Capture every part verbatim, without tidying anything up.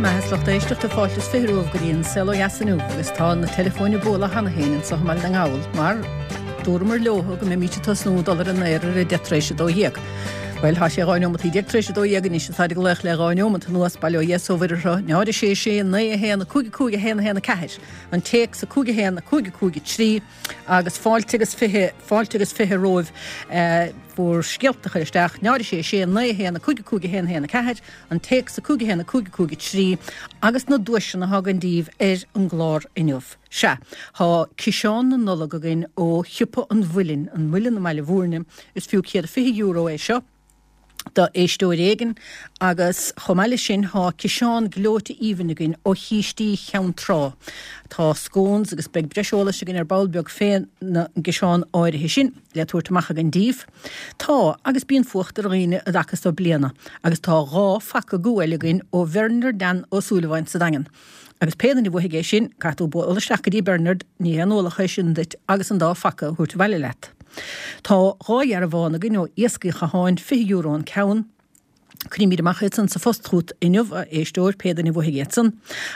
Maith lucht éisteachta fáilte is fiche romhaibh go dtí an Saol Ó Dheas inniu agus tá na teileafóin ag bualadh cheana féin anseo i mBaile na nGall mar dúramar leo go mbeimid ag tosnú dul ar an aer ar a deich tar éis a dó dhéag. Bhuel tá sé dhá neomat déag tar éis a dó dhéag anois táid ag glaoch le dhá neomat anuas bail ó Dhia is ó Mhuire orthu náid a sé sé naoi a haon a cúig a cúig a haon a haon a ceathair an téacs a cúig a haon a cúig a cúig a trí agus fáilte agus fiche fáilte agus fiche romhaibh eh, bhur scéalta a chur isteach náid a sé sé naoi a haon a cúig a cúig a haon a haon a ceathair an téacs a cúig a haon a cúig a cúig a trí agus na duaiseanna atá againn daoibh ar an gclár inniu. Sea, tá ciseán na Nollag againn ó Shiopa an Mhuilinn, an Muileann i mBaile Bhúirne, is fiú céad fiche euro é seo do éisteoir éigin agus chomh maith leis sin tá ciseán gleoite aoibhinn againn ó Chístí Cheann Trá. Tá scones agus beidh breis eolais againn ar ball beag fén gciseán áirithe sin le tabhairt amach againn daoibh. Tá agus bíonn fuacht ar dhaoine i dtaca so bliana agus tá dhá phaca guail againn ó Bhernard Dan Ó Súilleabháin sa Daingean. Agus pé duine a bhuafaidh é sin, caithfidh tú bualadh isteach go dtí Bernard, ní haon ualach é sin duit agus an dá phaca a thabhairt abhaile leat. Tá dhá dhearbhán againn ó Iascaigh an Chatháin fiche euro an ceann. Cuirfimid amach iad san sa phost chugat inniu, a éisteoir, pé duine a bhuafaidh iad san.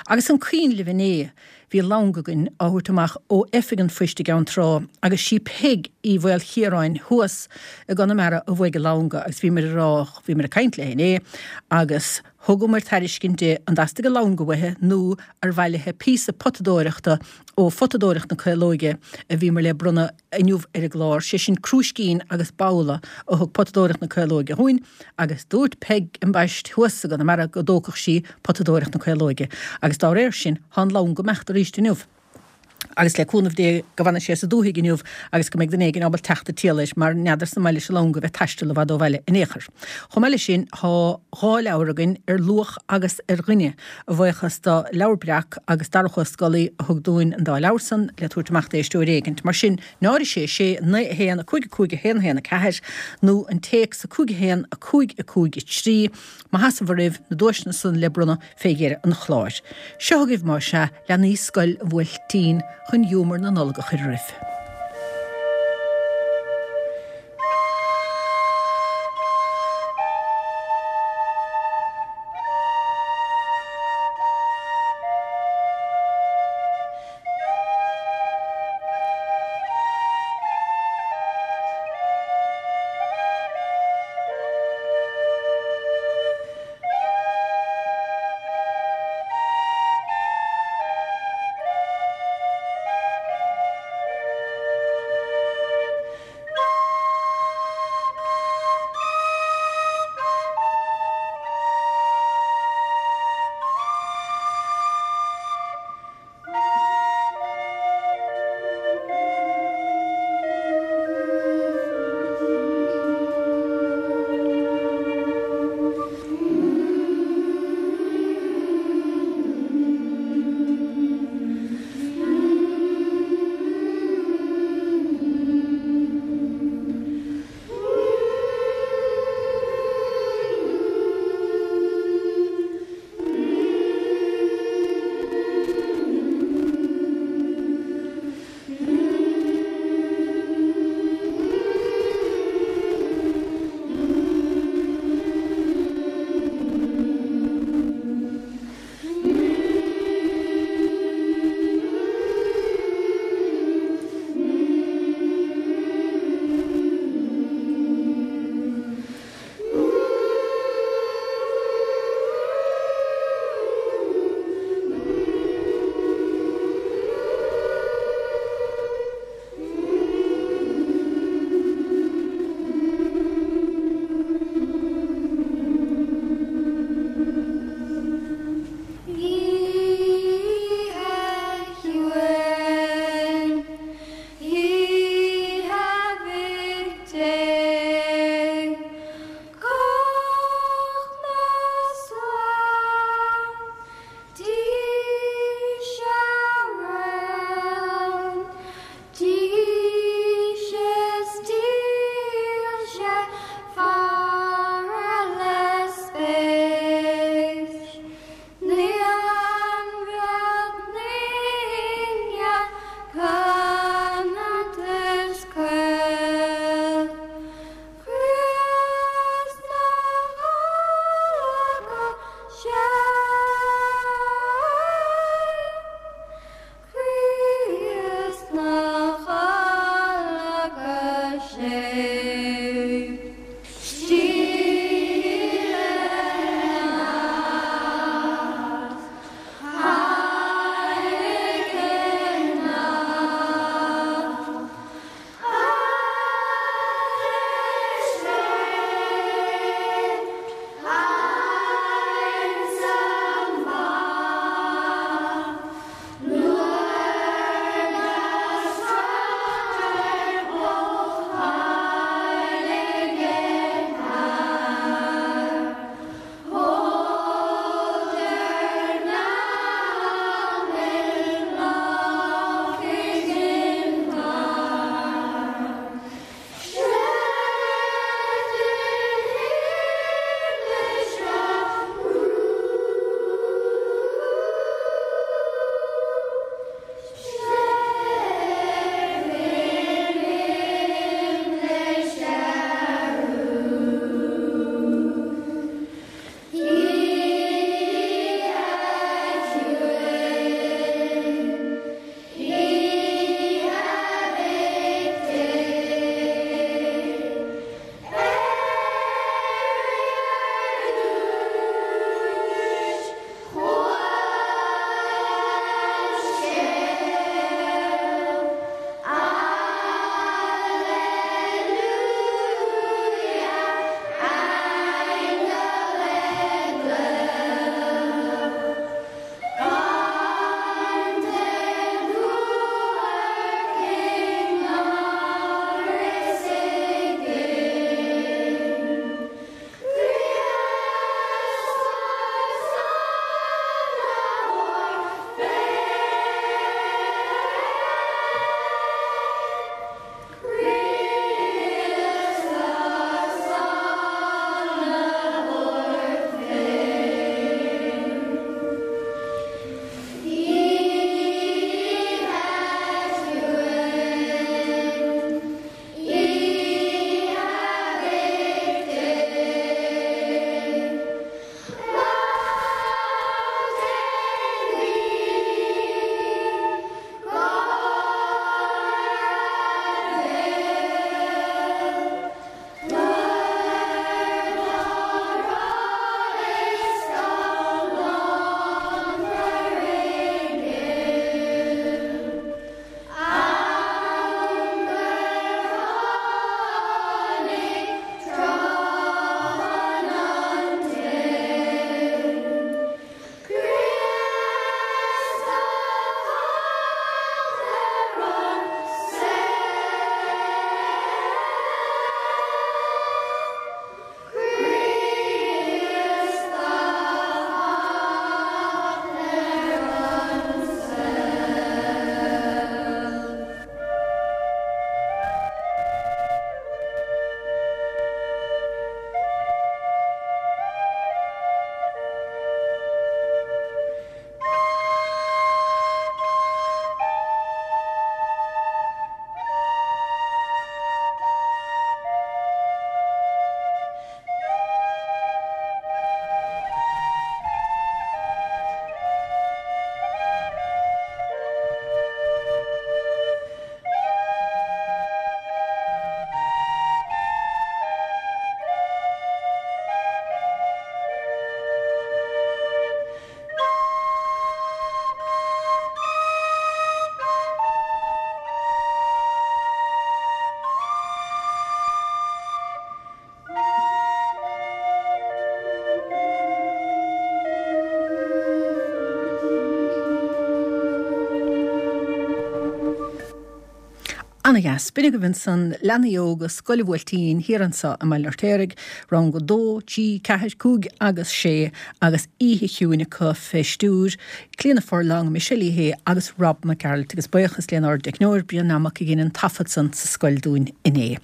Agus an cuimhin libh inné, bhí long againn á thabhairt amach ó Oifig an Phoist i gCeann Trá agus sí Peig Uí Mhaolchiaráin thuas i gConamara a bhuaigh an long agus bhíomar ag rá, bhíomar ag caint léi inné agus thugamar tairiscint di an dteastaigh an long uaithi nó ar mhaith léi píosa potadóireachta ó Photadóireacht na Caolóige a bhíomar le bronnadh inniu ar an gclár, sé sin crúiscín agus babhla a thug Potadóireacht na Caolóige dhúinn agus dúirt Peig ambaist thuas i gConamara go dtógfadh sí Potadóireacht na Caolóige agus dá réir sin tá an long ag imeacht arís inniu. Agus le cúnamh Dé go bhfanfaidh sé sa dúthaigh inniu agus go mbeidh duine éigin ábalta teacht ag triall air mar n'fheadarsa an maith leis an long a bheith ag taisteal i bhfad ó bhaile in aon chor. Chomh maith leis sin tá dhá leabhar againn ar luach agus ar dhuine, a bhuíochas do Leabhar Breac agus Darach Ó Scolaí a thug dúinn an dá leabhar san le tabhairt amach d'éisteoir éigint. Mar sin, náid a sé sé, naoi a haon, a cúig a cúig, a haon a haon a ceathair nó an téacs a cúig a haon, a cúig a cúig a trí, má sheasamh oraibh, na duaiseanna san le bronnadh fé dheireadh an chláir. Seo chugaibh más ea, leanaí Scoil an Bhuailtín chun giúmar na Nollag a chur oraibh. Ana-dheas. B'in agaibh ansan leanaí óga Scoil an Bhuailtín thiar anso i mBaile an Fheirtéaraigh, rang a dó, trí, ceathair, cúig agus sé agus oíche chiúin acu fé stiúir Clíona Furlong, Michelle Uí Shé agus Rob Mac Gearailt agus buíochas lenár dteicneoir Brian Mac a dhein an taifead san sa scoil dúinn inné.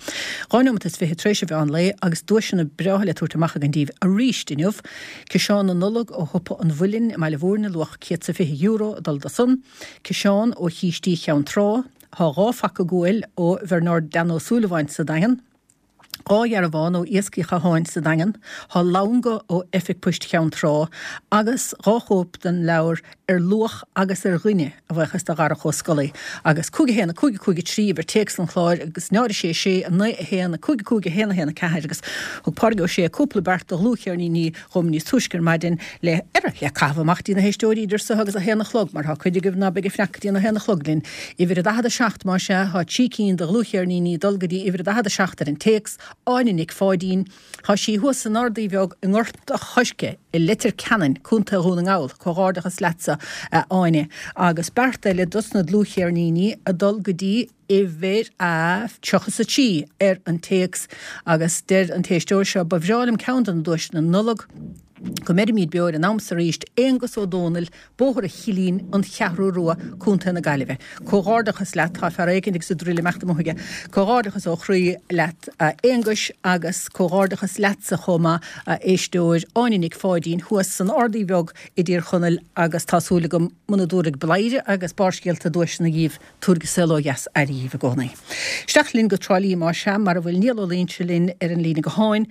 Dhá nóimeat is fiche tar éis an mheán lae agus duaiseanna breátha le tabhairt amach againn daoibh arís inniu. Ciseán na Nollag ó Shiopa an Mhuilinn i mBaile Mhúirne luach céad 's a fiche euro ag dul do san. Ciseán ó Chístí Cheann Trá. Tá dhá phaca guail ó Bhernard Dan Ó Súilleabháin sa Daingean, dhá dhearbhán ó Iascaigh Chatháin sa Daingean, tá langa ó Oifig Poist Cheann Trá agus dhá chóip den leabhar Ar Luach agus ar Dhuine, a bhuíochas do Dharach Ó Scolaí. Agus cúig a haon a cúig a cúig a trí uimhir téacs an chláir agus náid a sé sé a naoi a haon a cúig a cúig a haon a haon a ceathair agus thug Pádraig Ó Sé cúpla beart de dhlúthcheirníní dhom níos túisce ar maidin le ar le caitheamh amach dtí na héisteoirí idir seo agus a haon a chlog, mar tá cuid agaibh ná beidh ag fanacht go dtí an a haon a chlog linn. Uimhir a daichead a seacht más ea, tá trí cinn de dhlúthcheirníní ag dul go dtí uimhir a daichead a seacht ar an téacs, Áine Nic Pháidín. Tá sí thuas san Ardaí Bheag i nGort a' Choirce i Leitir Ceanainn, Contae Dhún na nGall. Comhghairdeachas leatsa, a Áine. Agus beart eile dos na dlúthcheirníní ag dul go dtí uimhir a tríocha 's a trí ar an téacs agus deir an t-éisteoir seo, Ba bhreá liom ceann de na duaiseanna Nollag, go mbeirimid beo ar an am so arís, Aonghus Ó Dónaill, Bóthar an Chillín, An Cheathrú Rua, Contae na Gaillimhe. Comhghairdeachas leat, tá fear éicint agus a druil ag imeacht amuigh aige. Comhghairdeachas ó chroí leat a Aonghuis agus comhghairdeachas leatsa chomh maith a éisteoir Áine Nic Pháidín thuas san Ardaí Bheag i dTír Chonaill agus tá súil agam muna dtabharfaidh Bladhaire agus Barrscéalta duaiseanna dhíbh, tabharfaidh Saol Ó Dheas aire dhíbh i gcónaí. Isteach linn go Trá Lí más ea, mar a bhfuil Niall Ó Loingsigh linn ar an líne gutháin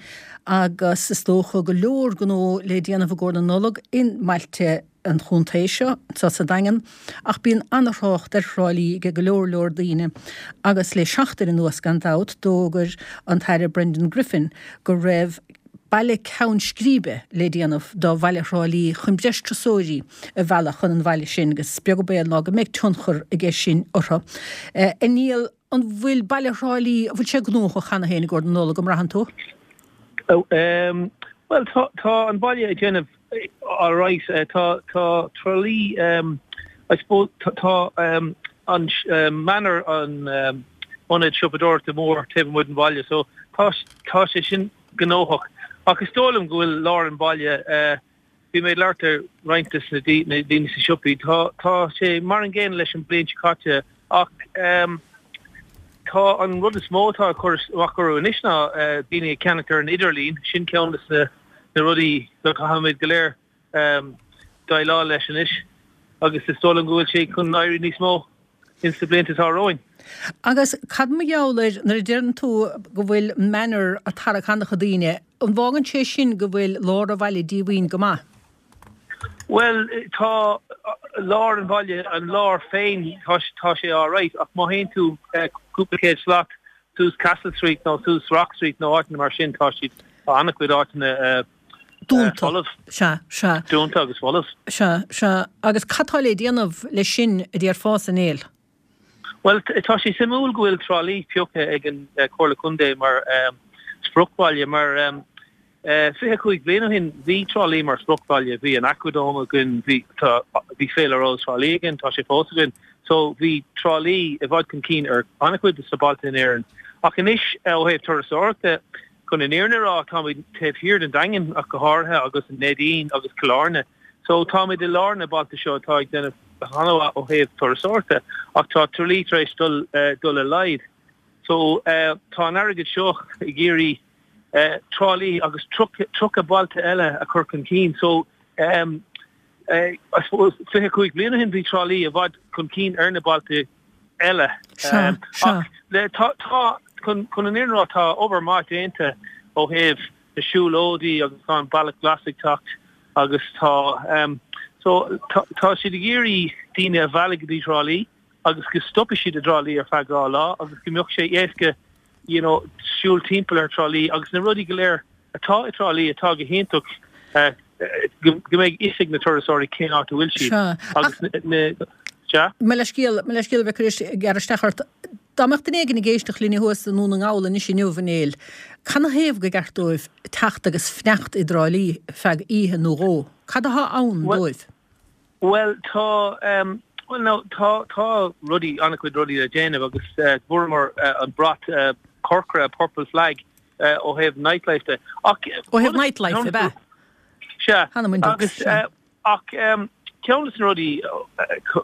agus is dócha go leor gnó le déanamh i gcomhair na Nollag i mbailte an chontae seo, anseo sa Daingean, ach bíonn an-thrácht ar Thrá Lí ag go leor leor daoine agus le seachtain anuas gan dabht d'fhógair an tAire Brendan Griffin go raibh baile ceann scríbe le déanamh do bhaile Thrá Lí chun breis turasóirí a mhealladh chun an bhaile sin agus is beag an baol ná go mbeidh tionchar aige sin orthu. A Niall, an bhfuil baile Thrá Lí, an bhfuil sé gnóthach cheana féin i gcomhair na Nollag, an mbraitheann tú? Bhuel, tá tá an baile ag déanamh alright. Tá tá Trá Lí, I suppose, tá an Manor an ionad siopadóireachta mór taobh amuigh den bhaile so tá tá sé sin gnóthach. Ach is dóigh liom go bhfuil lár an bhaile, bhí mé ag labhairt le roinnt de na daoine sna siopaí, tá tá sé mar an gcéanna leis an bliain seo caite ach tá an rud is mó atá ag cur amach orthu anois ná daoine ag ceannacht ar an idirlíon, sin ceann de na na rudaí go gcaithfimid go léir déileáil leis anois agus is dóigh liom go bhfuil sé chun éirí níos mó. ins na blianta atá romhainn. Agus cad mar gheall air, nuair a deireann tú go bhfuil Manor ag tarrac an-chuid daoine, an bhfágann sé sin go bhfuil lár an bhaile díomhaoin go maith? Bhuel, tá lár an bhaile, an lár féin, tá, tá sé alright, ach má théann tú cúpla céad slat suas Castle Street nó suas Rock Street nó áiteanna mar sin, tá siad, tá an-chuid áiteanna Dúnta. folamh. Sea, sea. Dúnta agus folamh. Sea, sea. Agus cad tá le déanamh leis sin, a déarfása, a Néill? Bhuel, tá sé suimiúil go bhfuil Trá Lí pioctha ag an Chomhairle Contae mar spriocbhaile, mar fiche cúig bliain ó shin bhí Trá Lí mar spriocbhaile, bhí an Aquadome againn, bhí, tá, bhí Féile Rós Thrá Lí againn, tá sé fós againn. So bhí Trá Lí i bhfad chun cinn ar an-chuid de na bailte in Éirinn. Ach anois, ó thaobh turasóireachta, Chun an fhírinne a rá, táimid taobh thiar den Daingean ach go háirithe agus an Neidín agus Cill Airne. So táimid i lár na bailte seo atá ag déanamh an-mhaith ó thaobh turasóireachta ach tá Trá Lí tar éis dul dul i laghad. So tá an airgead seo ag iarraidh Trá Lí agus tríocha bailte eile a chur chun cinn. So I suppose fiche cúig bliain ó shin bhí Trá Lí i bhfad chun cinn ar na bailte eile. Sea, sea. Ach le, tá, tá, chun, chun an fhírinne a rá, tá obair maith déanta ó thaobh na siúlóidí agus tá an Bealach Glas ag teacht agus tá, so, tá, tá siad ag iarraidh daoine a mhealladh go dtí Trá Lí agus go stopfaidh siad i dTrá Lí ar feadh dhá lá agus go mbeadh sé éasca, you know, siúl timpeall ar Trá Lí agus na rudaí go léir atá i dTrá Lí atá go hiontach, go mbeidh fhios ag na turasóirí cén áit a bhfuil siad Sea. agus na, sea? Mo leithscéal, mo leithscéal a bheith tar éis gearradh isteach ort. Dá mbeadh duine éigin ag éisteacht linne thuas i nDún na nGall anois inniu, a Néill, canathaobh gur ceart dóibh teacht agus fanacht i dTrá Lí feadh oíche nó dhó? Cad atá ann dóibh? Bhuel, tá, Well no tá tá rudaí an-chuid rudaí le déanamh agus uh, fuaireamar uh, an brat uh, corcra purple flag uh, ó thaobh nightlife de. Ach ó thaobh nightlife be? Sea agus uh, ach um, ceann de na rudaí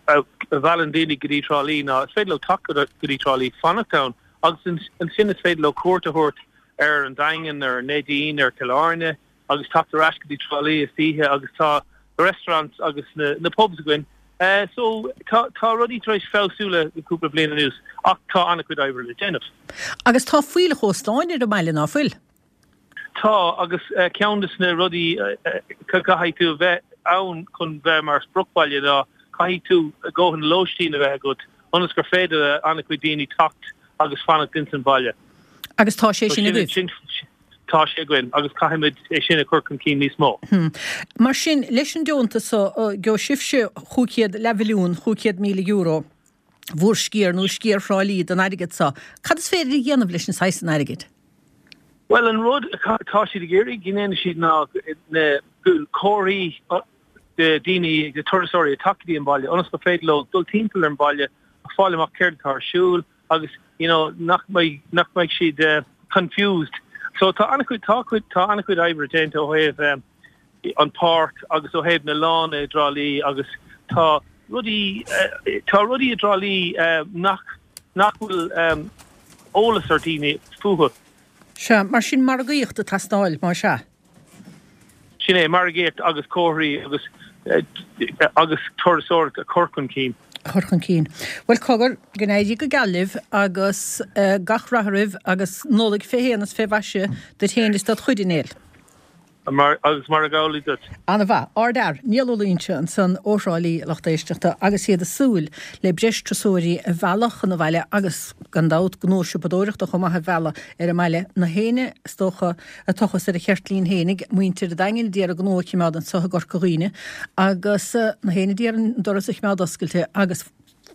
a mheallann daoine go dtí Trá Lí ná is féidir leo teacht go dtí Trá Lí fanacht ann agus ansin is féidir leo cuairt a thabhairt ar an Daingean ar Neidín ar Cill Airne agus teacht ar ais go dtí Trá Lí istoíche agus tá na restaurants agus na, na pubs againn. Uh, so tá, tá rudaí tar éis feabhsú le cúpla bliain anuas ach tá an-chuid oibre le déanamh. Agus tá fuílleach óstáin ar an mbaile ná fuil? Tá agus uh, ceann de na rudaí uh, uh, caithfidh tú bheith ann chun bheith mar spriocbhaile ná caithfidh tú dóthain lóistín a bheith agat ionas gur féidir an-chuid daoine teacht agus fanacht ins an bhaile. Agus tá sé sin agaibh? Tá sé againn agus caithfimid é sin a chur chun cinn níos mó. Hmm. Mar sin leis an deontas so gheobhaidh sibhse chúig chéad leathmhilliún chúig chéad míle euro bhur sciar nó sciar Thrá Lí den airgead so. Cad is féidir a dhéanamh leis an saghas san airgid? Well an rud tá siad ag iarraidh go ndéanfaidh siad ná na comharthaí de daoine de turasóirí ag teacht go dtí an baile ionas gur féidir leo dul timpeall ar an baile a fáil amach céard atá ar siúl agus you know nach mbeidh nach mbeidh siad uh, confused. So tá an-chuid tá cuid tá an-chuid oibre déanta ó thaobh um, an páirc agus ó thaobh na lána i dTrá Lí agus tá rudaí uh, tá rudaí i dTrá Lí uh, nach nach bhfuil um, eolas ar daoine fúthu. Sea, mar sin margaíocht ag teastáil mar sea. Sin é margaíocht agus comharthaí agus agus turasóireacht a chur chun cinn. Chur chun cinn. Bhuel cogar, go n-éirí go geal libh agus gach rath oraibh agus Nollaig fé shéan is fé mhaise duit féin is dod chuid a Néill. Agus mar a ghabhlaí duit. Ana-mhaith. Ardfhear, Niall Ó Loingsigh ansan ó Thrá Lí, lucht éisteachta, agus iad ag súil le breis turasóirí a mhealladh chun an bhaile agus, gan dabht, gnó siopadóireachta chomh maith a mhealladh ar an mbaile. Na héinne, is dócha, a tochas ar a cheirtlín fhéinig, muintir an Daingin a d'iarraidh gnó a chimeád anso i gCorca Dhuibhne agus na héinne a d'iarraidh an doras a chimeád oscailte agus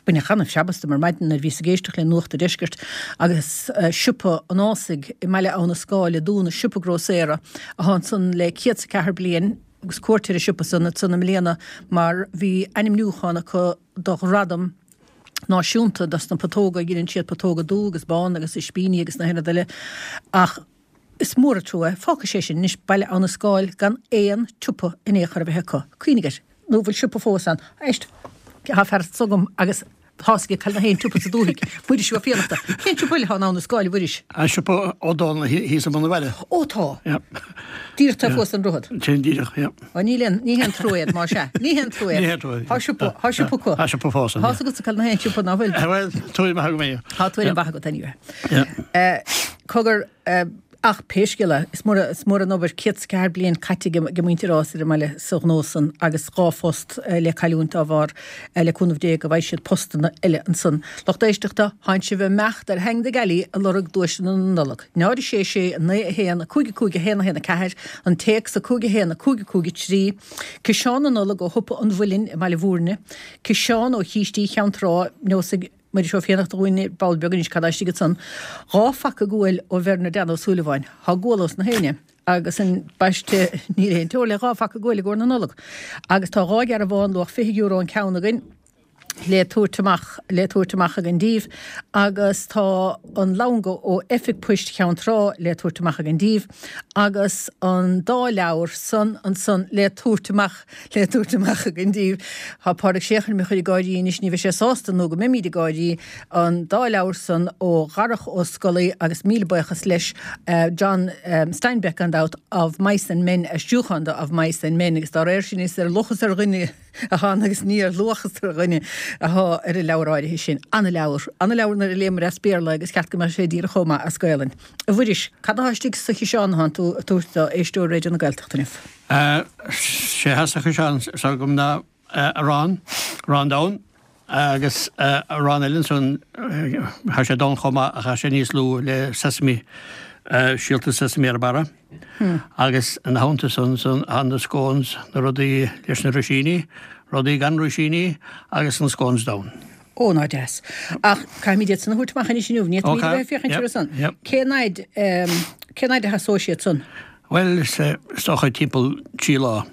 baineadh an-seabas dom ar maidin nuair a bhíos ag éisteacht le Nuacht an Deiscirt agus Siopa an Ásaigh i mBaile Abha na Scáil ag dúnadh, siopa grósaera atá ansan le céad 's a ceathair bliain agus cuairt ar an siopa san ansan i mbliana mar bhí ainmniúchán acu do ghradam náisiúnta dos na putóga, dheineann siad putóga dubh agus bán agus ispíní agus na haon rud eile ach is mór an trua é, fágfaidh sé sin anois Baile Abha na Scáil gan aon tsiopa in aon chor a bheith acu. Cuimhnigh air, nó bhfuil siopa fós ann? Éist, tá fear s'agam agus tá's aige cá bhfuil na haon tsiopa sa dúthaigh. Muiris Ó Fiannachta. Cén siopa eile atá in Abha na Scáil, a Mhuiris? An siopa Ó Dónaill thíos i mbun an bhaile. Ó tá. Díreach taobh thuas den droichead. Sin díreach, yeah. Ó níl aon, ní haon trua iad, más ea. Ní haon trua iad. Ní haon trua iad. Tá siopa, tá siopa acu. Tá siopa fós ann. Tá's agatsa cá bhfuil na haon siopa ná fuil? Bhuel, tuairim maith agam é. Tá tuairim mhaith agat anyway. Yeah. Cogar, Ach pé scéal é, is mór, is mór an obair, céad 's ceathair bliain caite ag muintir Ásaigh ar an mbaile sa ghnó san agus dhá phost le cailliúint dá bharr, le cúnamh Dé go bhfaighidh siad postanna eile ansan. Lucht éisteachta, thánn sibh ag imeacht ar Hang the Galley ag lorg duaiseanna na Nollag. Náid a sé sé, a naoi a haon, a cúig a cúig a haon a haon a ceathair, an téacs a cúig a haon a cúig a cúig a trí, Ciseán na Nollag ó Shiopa an Mhuilinn i mBaile Bhúirne, Ciseán ó Chístí Cheann Trá, Neosfaidh Muiris Ó Fiannachta dhúinn ar ball beag anois cad tá istigh ansan. Dhá phaca guail ó Bherna Dan Ó Súilleabháin. Thá gual ós na héinne agus ambaiste níl aon teora le dhá phaca guail i gcomhair na Nollag. Agus tá dhá dhearbhán luach fiche euro an ceann againn le tabhairt amach le tabhairt amach againn díbh agus tá an lango ó Oifig Poist Cheann Trá le tabhairt amach againn díbh agus an dá leabhar san ansan le tabhairt amach le tabhairt amach againn díbh. Tá Pádraig Séaghan mo chur ag gáirí anois, ní bheidh sé sásta nó go mbeimíd ag gáirí, an dá leabhar san ó Dharach Ó Scolaí agus míle buíochas leis, John Steinbeck gan dabht, Of Mice and Men, aistriúchán de Of Mice and Men agus dá réir sin is ar luchas ar dhuine atá ann agus ní ar luachas ar dhuine atá ar an leabhar áirithe sin. Ana-leabhar, ana-leabhar nuair a léamar as Béarla agus cheart go mbeadh sé díreach chomh maith as Gaelainn. A Mhuiris, cad atá istigh sa chiseán atánn tú ag tabhairt do éisteoirí Raidió na Gaeltachta inniu? Sé atá sa chiseán s'agam ná arán, arán donn agus arán eile ansan, tá sé donn chomh maith ach tá sé níos lú le sesame, síolta sesame ar a barra. Agus ina theannta san, san tá na scones, na rudaí leis na rúisíní, rudaí gan rúisíní agus na scones donn. Ó, ná deas. Ach caithfimid iad san a thabhairt amach anois inniu, ní fhéadfaimid a bheith ag féachaint orthu san. Cén fhaid, cén fhaid a sheasóidh siad san? Bhuel, is dócha timpeall trí lá.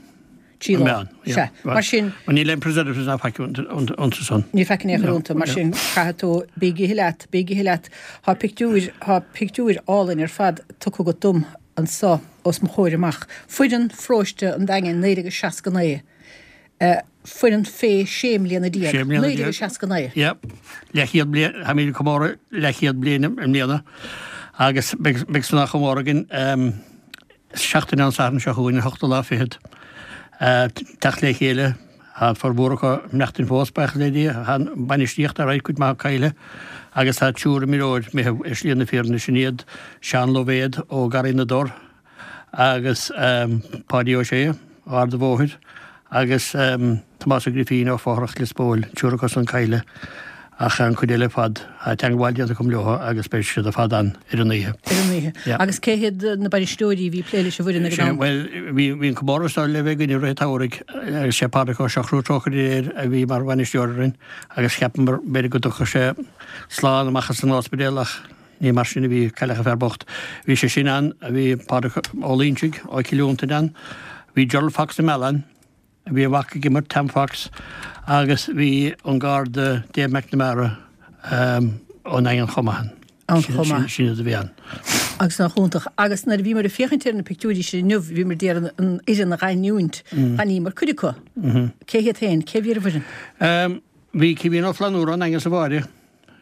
Trí lá. Sea. Mar sin. Níl aon preservatives ná faic iontu san. Níl faic in aon chor iontu, mar sin caithfidh tú, bí ag ithe leat, bí ag ithe leat. Tá pictiúir, tá pictiúir álainn ar fad tugtha agat dom anso os mo chomhair amach. Foireann Pharóiste an Daingin naoi déag seasca naoi. Foireann fé sé mbliana déag. Sé mbliana Naoi déag déag. seasca naoi. Yep. Leathchéad bliain, táimid ag comóradh leathchéad bliain i mbliana agus beidh, beidh san á chomóradh againn um, seachtain an Satharn seo chugainn, an hochtú lá fichead. Teacht le chéile, tá formhór acu ag maireachtaint fós, buíochas le Dia, tá an bainistíocht ar aghaidh, cuid maith caillte, agus tá triúr imreoir imithe ar shlí na fírinne, sin iad Seán Loibhéad ó Garraí na dTor agus Páidí Ó Sé ó Ard an Bhóthair agus Tomás Ó Grifín ó Fothrach Lios Póil, triúr acu san caillte. Ach an chuid eile ar fad, tá teagmháil déanta agam leo agus beidh siad ar fad ann ar an oíche. Ar an oíche. Yeah. Agus cé hiad na bainisteoirí a bhí ag plé leis an bhfoireann ag an am? Bhuel, bhí, bhí an comóradh seo le bheith againn i rith an tsamhraidh agus sé Pádraig Ó Siochrú trócaire air a bhí mar bhainisteoir orainn agus cheapamar b'fhéidir go dtiocfadh sé slán amach as an ospidéal ach ní mar sin a bhí, cailleadh an fear bocht. Bhí sé sin ann, bhí Pádraig Ó Loingsigh ó Chill Fhionntain ann, bhí Gerald Fox na Meala ann, Bhí a mhac ag imirt, Tam Fox, agus bhí an Garda Dave McNamara ón nDaingean chomh maith ann. Ann chomh maith. Sin iad a bhí ann. Agus nach iontach. Agus nuair a bhíomar ag féachaint ar na pictiúirí sin inniu, bhíomar d'iarraidh an fhoireann a dh'aithniúint. D'aithníomar cuid acu. Cé hiad féin? Cé bhí ar an bhfoireann? Bhí Caoimhín Ó Flannúra ón Daingean sa bháire.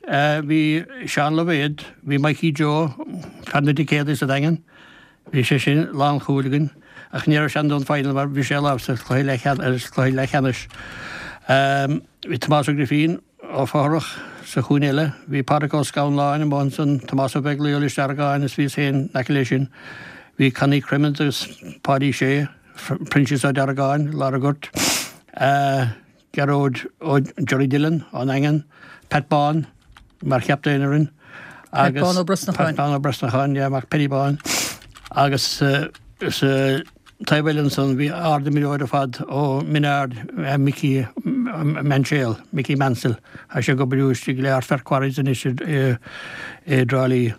Bhí Seán Loibhéad, bhí Mikey Joe, fear na dticéadaí sa Daingean. Bhí sé sin lánchúil againn ach ní raibh sé ann don final mar bhí sé i lámh sa chluiche leathcheannais. Bhí Tomás Ó Grifín ó Fothrach sa chúinne eile, bhí Pádraic Ó Scanláin amuigh ansan, Tomás Ó Beaglaoich ó Lios Deargáin is bhíos féin in aice leis sin. Bhí Connie Crimmins agus Páidí Sé, Proinsias Ó Deargáin, lár an ghoirt. Gearóid Ó Jerry Dillon ón nDaingean, Pat Bán mar chaptaen orainn Pat Bán Ó Brosnacháin. Pat Bán Ó Brosnacháin, yeah, mac Paddy Bán. Agus sa taobh eile ansan bhí ard-imreoir ar fad ó Mhin Aird, Mickey Mainséal, Mickey Mansell. Tá sé ag obair istigh le Ardfert Quarries anois i dTrá Lí.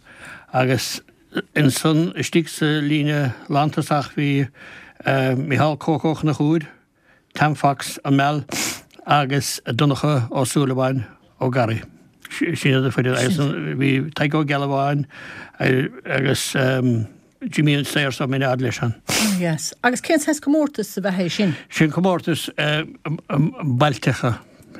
Agus ansan istigh sa líne lántosach bhí Micheál Cóco Ó Conchúir, Tam Fox, An Meal, agus Donncha Ó Súilleabháin ó Garraí. Sin iad an foireann agus bhí Tadhg Ó Gealbháin agus Jimmy an Saor sa Min Ard leis ann. Yes. Agus cén saghas comórtas ab ea é sin? Sin comórtas bailteacha,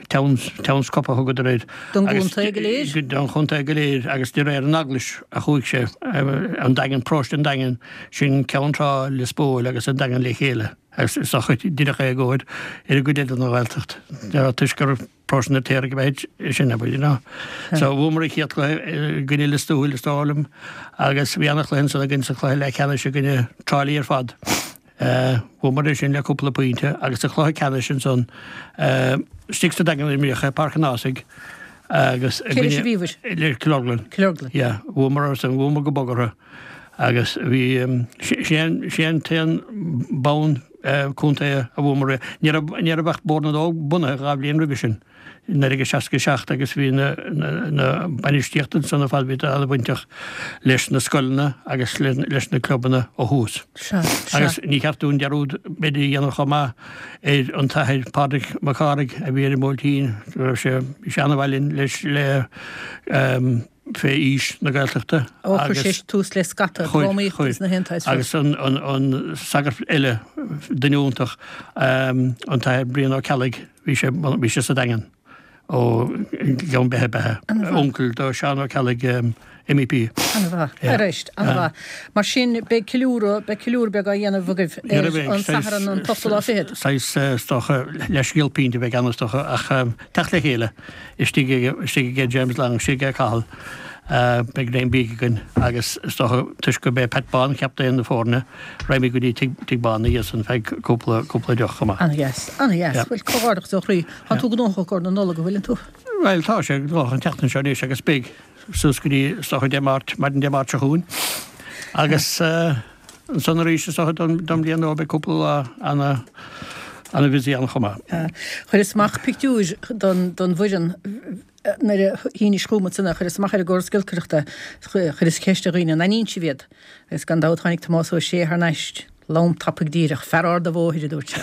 Towns, Towns Cup a thugadar air. Don gcontae go léir? Don chontae go léir agus de réir an Eaglais a chuaigh sé, an Daingean, Paróiste an Daingin, sin Ceann Trá, Lios Póil agus an Daingean le chéile. Agus is dócha díreach é i gcomhair ar an gcuid eile den Ghaeltacht, toisc gur Paróiste an Fheirtéaraigh ab ea sin, abair, you know. So bhuamar an chéad chluiche i gcoinne Lios Tuathail, is dóigh liom, agus bhí an-chluiche ansan againn sa chluiche leathcheannais i gcoinne Trá Lí ar fad. Bhuamar é sin le cúpla pointe agus sa chluiche ceannais ansan, istigh sa Daingean a imríodh é, Páirc an Ághasaigh, agus i Cé leis a gcoinne bhíobhair? le Cill Orglan. Cill Orglan. Yeah, bhuamar orthu, bhuamar go bog orthu. Agus bhí, sin é an t-aon bonn contae a bhuamar. Ní raibh, ní raibh ach Bord na nÓg bunaithe dhá bhliain roimhe sin, i naoi déag seasca a seacht agus bhí na, na bainistíocht ansan ar fad, bhí an-bhainteach leis na scoileanna agus leis na clubanna ó thús. Sea, sea. Agus ní cheart dúinn dearúd b'fhéidir a dhéanamh chomh maith ar an tAthair Pádraig Mac Cárthaigh a bhí ar an mBuailtín, go raibh sé, bhí sé an-mhaith linn leis, le, fé Fhís na Gaeltachta Ó, chuir agus sé tús le scata chuir, drámaíochta chuir. sna haon tsaghas rud. Agus an, an, an sagart eile, duine iontach, an tAthair Brian Ó Ceallaigh, bhí sé, bhí sé sa Daingean ó Ghleann Beithe ab ea, An-mhaith. uncail do Seán Ó Ceallaigh, MEP. An-mhaith. Yeah. Arís, an-mhaith. Mar sin, beidh ceiliúradh, beidh ceiliúradh beag á dhéanamh agaibh Ní ar raibh aon an Satharn an t-ochtú lá fichead. Saghas, is dócha, leathscéal pínte a bheidh ann is dócha, ach teacht le chéile istigh ag, istigh ag James Long, istigh ag Cathal, beidh greim bídh againn agus is dócha, toisc gurb é Pat Bán captaen na foirne, raghaimid go dtí Tigh, Tigh Bán ina dhiaidh san feadh cúpla, cúpla deoch chomh maith. An-dheas, an-dheas. Yeah. Bhuel, comhghairdeachas ó chroí. Tá tú gnóthach i gcomhair na Nollag, an bhfuileann tú? Bhuel, tá sé gnóthach an tseachtain seo anois agus beidh. suas go dtí, is dócha, Dé Máirt, maidin Dé Máirt seo chugainn. Agus ansan arís, is dócha, don, don bhliain nua, beidh cúpla lá ana, ana busy ann chomh maith. Chuireas amach pictiúir don, don bhfoireann nuair a shínis chugam ansan é, chuireas amach ar an gcóras giolcaireachta, chuireas ceist ar dhaoine, an aithníonn sibh iad? Agus gan dabht tháinig Tomás Ó Sé thar n-ais. Lom tapaidh díreach, fear ard a' bhóthair, a dúirt sé.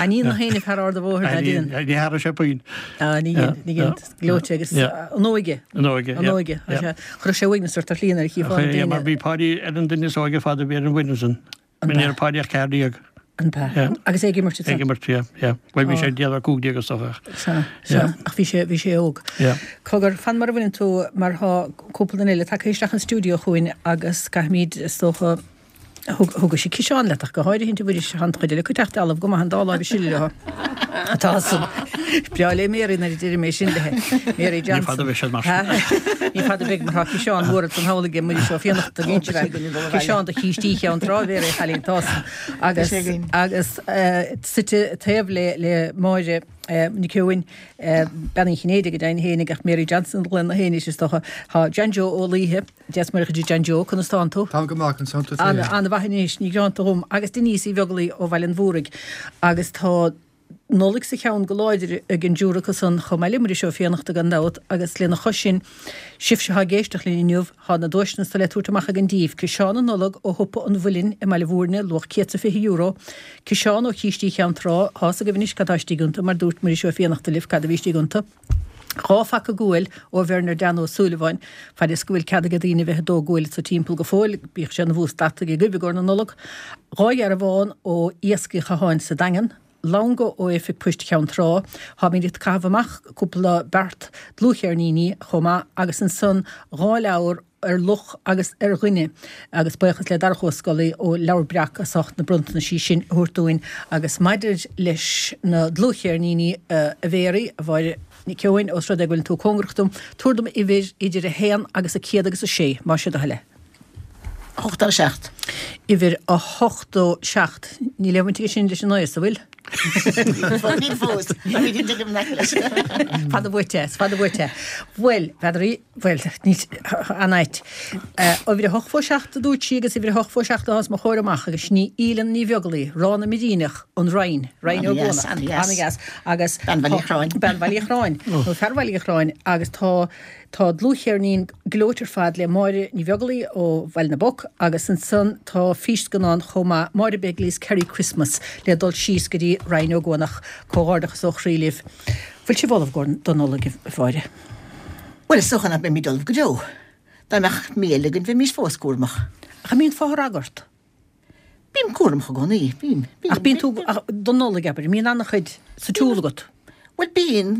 A ní na héinne fear ard a' bhóthair ná déan. Ní tharla sé puinn. Ní dhein, ní dhein. Gleoite agus an óige. An óige, An óige. Chuirfeadh sé uaigneas ort ar shlí nuair a chífeá na daoine. Mar bhí Páidí ar an duine is óige ar fad a bhí ar an bhfoireann san. Ní raibh Páidí ach ceathair déag. An b'ea? Agus é ag imirt ansan? Ag imirt, yeah, yeah. Bhuel, bhí sé déag ar cúig déag is dócha. Sea, sea. Ach bhí sé, bhí sé óg. Yeah. Cogar, fan mar a bhfuileann tú, mar thá cúpla duine eile tagtha isteach an stiúideo chugainn agus caithfimid, is dócha, thug, thugaise ciseán leat ach go háirithe, a Mhuiris, tá an chuid eile acu ag teacht dealbh go maith an dá láimh ag sileadh leo. Tá san. Breá le Mary nuair a deirim é sin léi. Mary Johnson. Ní fada a bheidh siad mar sin. Ní fada a bheidh mar tá ciseán mór san halla aige Muiris Ó Fiannachta ag inse Ciseán de chístí Cheann Trá Mhéaraí a chailín tá san. Agus agus suite taobh le le Máire Nic Eoin, Bean Uí Chinnéide go deimhin fhéinig ach Mary Johnson a ghlaonn na héinne is dócha. Tá John Joe Ó Laoithe, Dia 's Muire dhuit a John Joe, conas tánn tú? Táim go maith, conas tánn tú féin? An-mhaith anois, ní gearánta dhom. Agus Denise Uí Bheaglaoi ó Bhaile an Mhúraigh. Agus tá Nollaig sa cheann go láidir ag an dtriúr acu san chomh maith le Muiris Ó Fiannachta gan dabht agus lena chois sin, sibhse atá ag éisteacht linn inniu, tá na duaiseanna atá le tabhairt amach againn daoibh, Ciseán na Nollag ó Shiopa an Mhuilinn i mBaile Bhúirne, luach céad 's a fiche euro, Ciseán ó Chístí Cheann Trá, tá 's agaibh anois cad tá istigh iontu mar dúirt Muiris Ó Fiannachta libh cad a bhí istigh iontu, Dhá phaca guail ó Bherner Dan Ó Súilleabháin, fad is go bhfuil cead ag daoine a bheith ag dó guail sa timpeall go fóill, bíodh sé ina bhús deataigh agaibh i gcomhair na Nollag, Dhá dhearbhán ó Iasc Uí Chatháin sa Daingean, Longa ó Oifig Poist Cheann Trá, táimid ag caitheamh amach cúpla beart dlúthcheirníní chomh maith agus ansan dhá leabhar ar luch agus ar dhuine agus buíochas le Darach Ó Scolaí ó Leabhar Breac as ucht na bronntanaisí sin a thabhairt dúinn agus maidir leis na dlúthcheirníní a Mhéaraí, a Mháire Nic Eoin, ós rud é go bhfuileann tú cóngarach dom, tabhair dom uimhir idir a haon agus a céad agus a sé, más é do thoil é. Ochtó a seacht. Uimhir a hochtó seacht. Níl aon bhaint aige sin leis an oigheas, an bhfuil? Níl fós. Táimid ag dul i ngleic leis. Fada uait é, is fada uait é. Bhuel, n'fheadar í, bhuel, níl, an-ait. Uimhir a hochtó seacht a dúirt sí agus uimhir a hochtó seacht atá os mo chomhair amach agus sin í Aoileann Ní Bheaglaoi, Ráth na mBiríneach, An Rinn, Rinn Ó An-dheas, gCuanach. an-dheas. An-dheas. Agus Bean Bhaile Chráin. Bean Bhaile Chráin. Nó fear Bhaile Chráin agus tá Tá dlúthcheirnín gleoite ar fad le Máire Ní Bheaglaoi ó Bhaile na bPoc agus ansan tá físscannán chomh maith, Máire Begley's Kerry Christmas, le dul síos go dtí Rinn Ó gCuanach. Comhghairdeachas ó chroí libh. Bhfuil sibh ullamh don Nollaig, a Mháire? Bhuel, is dócha nach mbeimid ullamh go deo. Dá mbeadh mí eile againn bheimís fós cúramach. Ach an mbíonn fothragadh ort? Bím cúramach i gcónaí, bím, bím. Ach bíonn tú, don Nollaig, abair, an mbíonn an-chuid sa tsiúl agat? Bhuel, bíonn,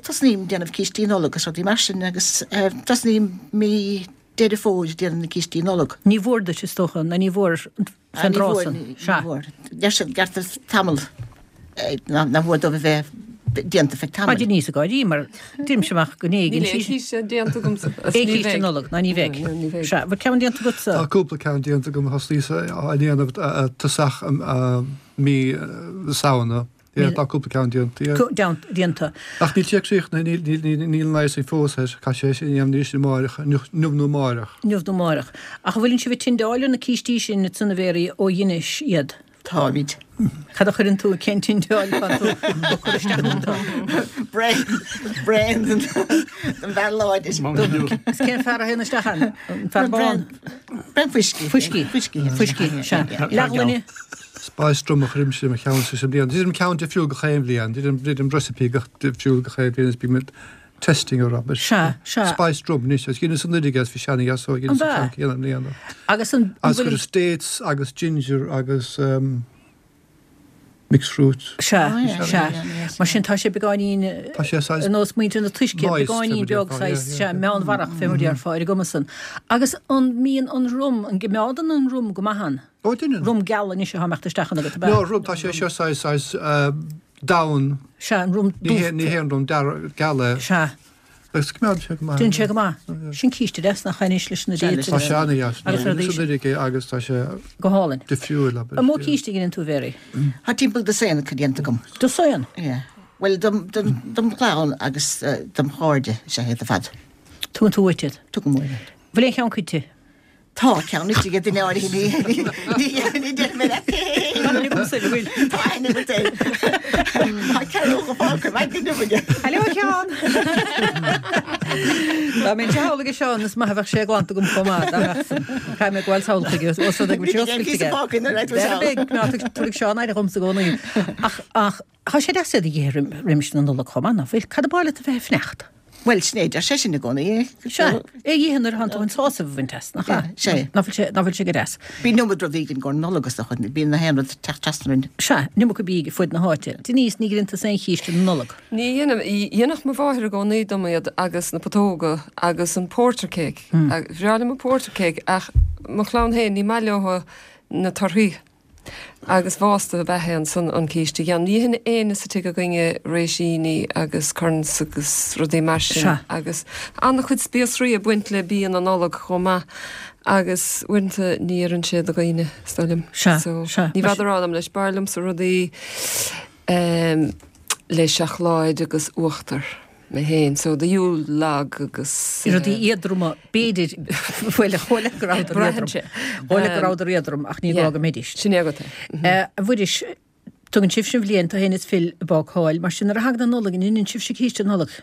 tosnaím déanamh cístí Nollag agus rudaí mar sin agus tosnaím mí Deireadh Fómhair ag déanamh na cístí Nollag. Ní mhór duit, is dócha, nó ní mhór fén dtráth san, sea. Ní mhór. Deir siad gearrtar tamall, nach mhór dóibh a bheith déanta feadh Tá tamaill. Denise ag gáirí mar deirimse amach go n-éigean Níl aon chíste déanta agamsa. Aon chíste Nollag, ná ní bheidh. Ní bheidh. Sea, bhfuil ceann déanta agatsa? Tá cúpla ceann déanta agam, thosnaíos á ndéanamh tosach mí na Samhna. Yeah, tá cúpla ceann déanta, yeah. Déanta. Ach níl sé críochnaithe, níl níl an icing fós air, caithfidh sé sin a dhéanamh arís amáireach, inniu nó amáireach. Inniu nó amáireach. Ach an bhfuileann sibh ag tindeáil ar na cístí sin ansan a Mhéaraí ó dheinis iad? Táimid. Cad a chuireann tú, cén tindeáil atá tú ag cur isteach iontu? Braon, braon den bhfear láidir. Is cén fear a théann isteach ann? An fear bán? Braon fuiscí. Fuiscí. Fuiscí. Fuiscí, sea. Leathghloine. Spiced rum a chuirimse i mo cheannsa sa bhliain. Déanaim ceann difriúil gach aon bhliain. Déanaim recipe gach difriúil gach aon bhliain is bím ag testing ar abair. Sea, sea. Spiced rum anois. Agus dheineas anuraidh é is bhí sé ana-dheas so dheineas an ceann céanna i mbliana. Agus an Agus chuireas dates agus ginger agus um, mixed fruit. Sea, sea. Mar sin tá sé beagáinín Tá sé saghas ar nós muintir na tuisce, moist, beagáinín fé mar beag déarfá, saghas, yeah, sea, yeah. meánmharach fé mar déarfá ar an gcuma san. Agus an mbíonn an rum, an gcoimeádann an rum go maith ann? Ó, deineann. Rum geal anois atá ag imeacht isteach ann agat, ab ea? No, rum, tá sé seo saghas, saghas, donn. Sea, an rum Ní hé, ní hé an rum dearg, geal é. Sea. Agus coimeádann sé go maith. Déanann sé go maith. Sin císte deas nach ea anois leis na dates Tá sé ana-dheas. agus rudaí. Is anuraidh é agus tá sé Go hálainn. difriúil, abair. An mó císte a dheineann tú, a Mhéaraí? Tá timpeall dosaen acu déanta agam. Dosaen? Yeah. Bhuel, dom, dom, dom chlann agus dom chairde is ea iad ar fad. Tugann tú uait iad? Tugaim uaim iad. Bhfuil aon cheann goidte? Tá ceann istigh ag duine áirithe, ní, ní, ní déarfaidh mé leat cé hé. agamsa, an bhfuil? Tá aithne agat air. Tá ceathrú fágtha, maith go leor. Hello, a Sheáin! Dá mbeinn samhlaigh a Sheáin, is maith a bheadh sé glanta agam chomh maith, dá mbeadh san. Caithfidh mé gabháil sall chuige, os rud é go bhfuil sé oscailte aige. Tabharfaidh Seán aire dhomsa i gcónaí. Ach, ach, tá sé deas iad a dh'ithe roimis na Nollag chomh maith, ná fuil? Cad ab áil leat a bheith ag fanacht? Bhuel, sin é, deir sé sin i gcónaí. Sea, é a dh'ithe nuair atánn tú chun sásamh a bhaint as, nach ea? Sea. Ná fuil sé, ná fuil sé go deas? Bíonn iomad rudaí againn i gcomhair na Nollag is dócha, bíonn na haon rud ag teacht trasna orainn. Sea, an iomarca bídh ar fud na háite. Denise, ní dheineann tusa aon chíste na Nollag. Ní dhéanaim, dhéanadh mo mháthair i gcónaí dom iad agus na putóga agus an porter cake. Bhreá liom an porter cake ach mo chlann féin, ní maith leo na torthaí. Agus bhásta ab ea é ansan an císte a dhéanamh. Ní itheann éinne sa tigh againne réisíní agus currants agus rudaí mar sin. Sea. Agus an-chuid spíosraí ag baint le bia na Nollag chomh maith agus uaireanta ní oireann sé do dhaoine, is dóigh liom. Sea, So, sea. ní bhfeadar anam leis. B'fhearr liomsa rudaí le seacláid agus uachtar. Mé féin, so the Yule log agus. Rudaí éadroma, b'fhéidir, bhuel, dhóigh leat go rabhadar Braitheann éadrom. sé. Dhóigh leat go rabhadar éadrom ach ní gá go mbeidís. Sin é agat é. A Mhuiris, tugann sibhse an bhliain, tú féin is Phil ag bácáil, mar sin nuair a thagann an Nollaig, an ndeineann sibhse císte Nollag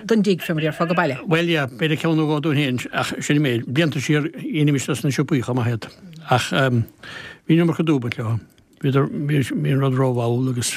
don dtigh, fé mar a déarfá, go baile? Bhuel, yeah, b'fhéidir ceann nó dhó dúinn féin, ach sin an méid. Blianta siar, dheinimis dos na siopaí chomh maith iad. Ach bhí an iomarca dúb baint leo. Bhíodar, bhí an rud rómhall agus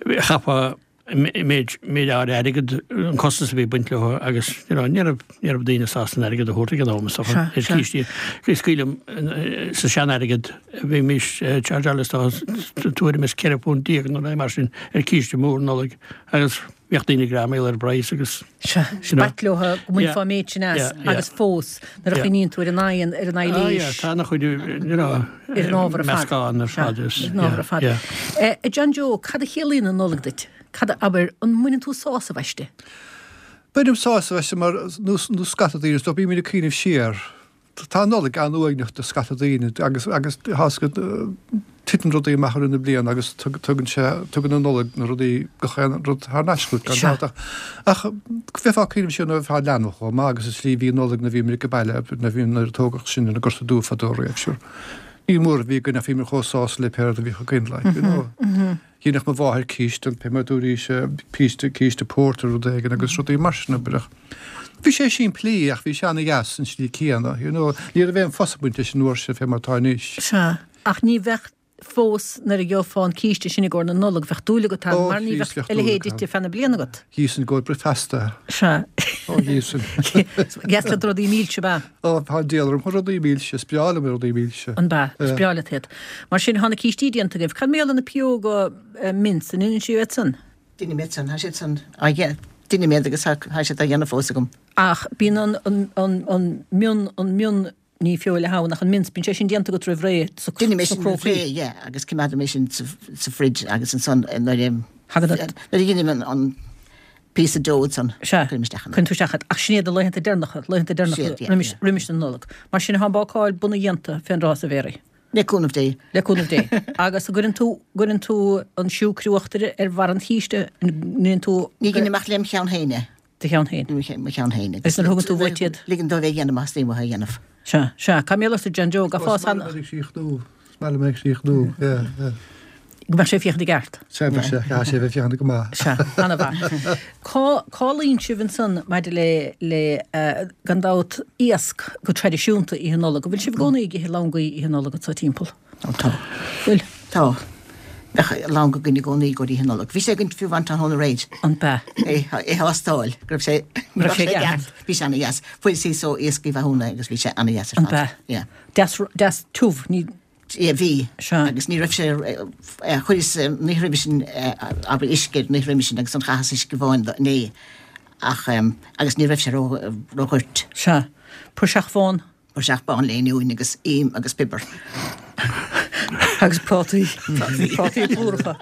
chaithfeá méid méid áirithe airgid an costas a bhí ag baint leo agus you know, ní raibh ní raibh daoine sásta an airgead a thabhairt ag an am is dócha Sea, ar sea. cístí. Is cuimhin liom sa sean-airgead bhímis ag chargeáil is dócha tuairim is ceithre phunt déag nó mar sin ar císte mór Nollag agus bhíodh daoine ag greamaíl ar an bpraghas agus Sea, you know. b'ait leo go mbainfeá Yeah, méid sin as yeah, yeah. agus fós nuair a Yeah. chuimhníonn tú ar an aghaidh ar an Ah, yeah, ailís. tá ana chuid you know, Ar an ábhar ar fad. meascán ar fad is Ar an ábhar yeah, ar fad. yeah. Eh, a John Joe, cad a chiallaíonn an Nollaig duit? Cad a abair, an mbaineann tú sásamh aisti? Bainim sásamh aisti mar nó nó scata daoine, is dóigh bímid ag cuimhneamh siar. Tá an Nollaig an-uaigneach do scata daoine agus agus thá's agat titeann rudaí amach ar na bliana agus tugann sé tugann an Nollaig na rudaí gach aon rud thar n-ais chugat gan Sea. dabht ach ach bheifeá ag cuimhneamh siar nuair a bheifeá leanbh chomh maith agus is slí bhí an Nollaig na bhímid ag baile na bhí nuair a tógadh sinn ar an nGorta Dubh fadó riamh sure. Ní mór a bhí againn ach bhíomar chomh sásta le pé rud a bhíodh againn like, you know. Dhéanadh mo mháthair císte, pé mar dúraís císte císte pórtair rud éigin agus rudaí mar sin abair ach Bhí sé simplí ach bhí sé ana-dheas an slí céanna, you know. Ní raibh aon fuss ag baint leis an uair sin fé mar atá anois. Sea, ach ní bheadh fós nuair a gheofá an císte sin i gcomhair na Nollag, bheadh dúil agat ann Ó, mar ní Chríost, bheadh bheadh a dúil leithéid agat ite feadh na bliana agat. Híosfainn go bricfeasta. Sea. Ó, híosfainn. Deas leat rudaí milse ab ea? Ó, tá an diabhal orm, rudaí milse, is breá liom rudaí milse. An b'ea, is breá leat iad. Mar sin, tá na cístí déanta agaibh. Cad mar gheall ar na pióga mince, an ndeineann sibh iad san? Deinim iad san, tá siad san á dhéanamh, deinim iad agus tá siad á dhéanamh fós agam. Ach bíonn an, an, an, an mion, an mion ní feoil atá ann ach an mince, bíonn sé sin déanta agat roimh ré sa Deinim é sna sin roimh crócaí. ré, yeah, agus coimeádaim é sin sa, sa fridge agus ansan nuair a Thagann an- nuair a dheinim an, an píosa dough san, Sea, cuirim isteach ann. cuireann tú isteach iad. Ach sin iad na laethanta deireanacha, laethanta deireanacha Siad, yeah, roimis, yeah. roimis na Nollag. Mar sin tá an bácáil bunaidh dhéanta fén dtráth sa Mhéaraí. Le cúnamh Dé. Le cúnamh Dé. Agus an gcuireann tú, gcuireann tú an siúcra uachtair ar bharr an chíste, an ndéanann tú Ní dheinim ach lem cheann féin é. Do cheann féin. Mo cheann féin. Agus nuair a thugann tú uait iad? Ligim dóibh é a dhéanamh as ní a dhéanamh. Sea, sea. Cá mbeadh ort John Joe, gabhfá Is maith liom ag síochnú. Is maith liom ag síochnú, yeah, yeah. Go mbeadh sé ag féachaint i gceart. Sea, bheadh sé, chaithfeadh sé bheith féachaint go maith. Sea, an-mhaith. Cá, cá luíonn sibh ansan maidir le, le gan dabht iasc go traidisiúnta Oíche Nollag? An bhfuil sibh i gcónaí ag ithe langaí Oíche Nollag anso timpeall? Ó, tá. Bhfuil? Tá. Bheadh langa againn i gcónaí go Oíche Nollag. Bhí sé againn fiú amháin tráthnóna aréir. An b'ea? É, é thástáil, go raibh sé, Go raibh sé ceart. Bhí sé ana-dheas. Fuair sí só iasc Uí Mhathúna agus bhí sé ana-dheas ar An fad. b'ea? Yeah. Deas, deas tiubh, ní. Yeah, bhí. Sea. Agus ní raibh sé, chuireas ní roimhe sin, abair uisce air, ní roimhe sin agus an chaitheas uisce amháin do, inné. Ach, agus ní raibh sé ró, ródhoirt. Sea. Praiseach bhán. Praiseach bán le oinniúin agus im agus piobar. Agus prátaí. Prátaí plúracha.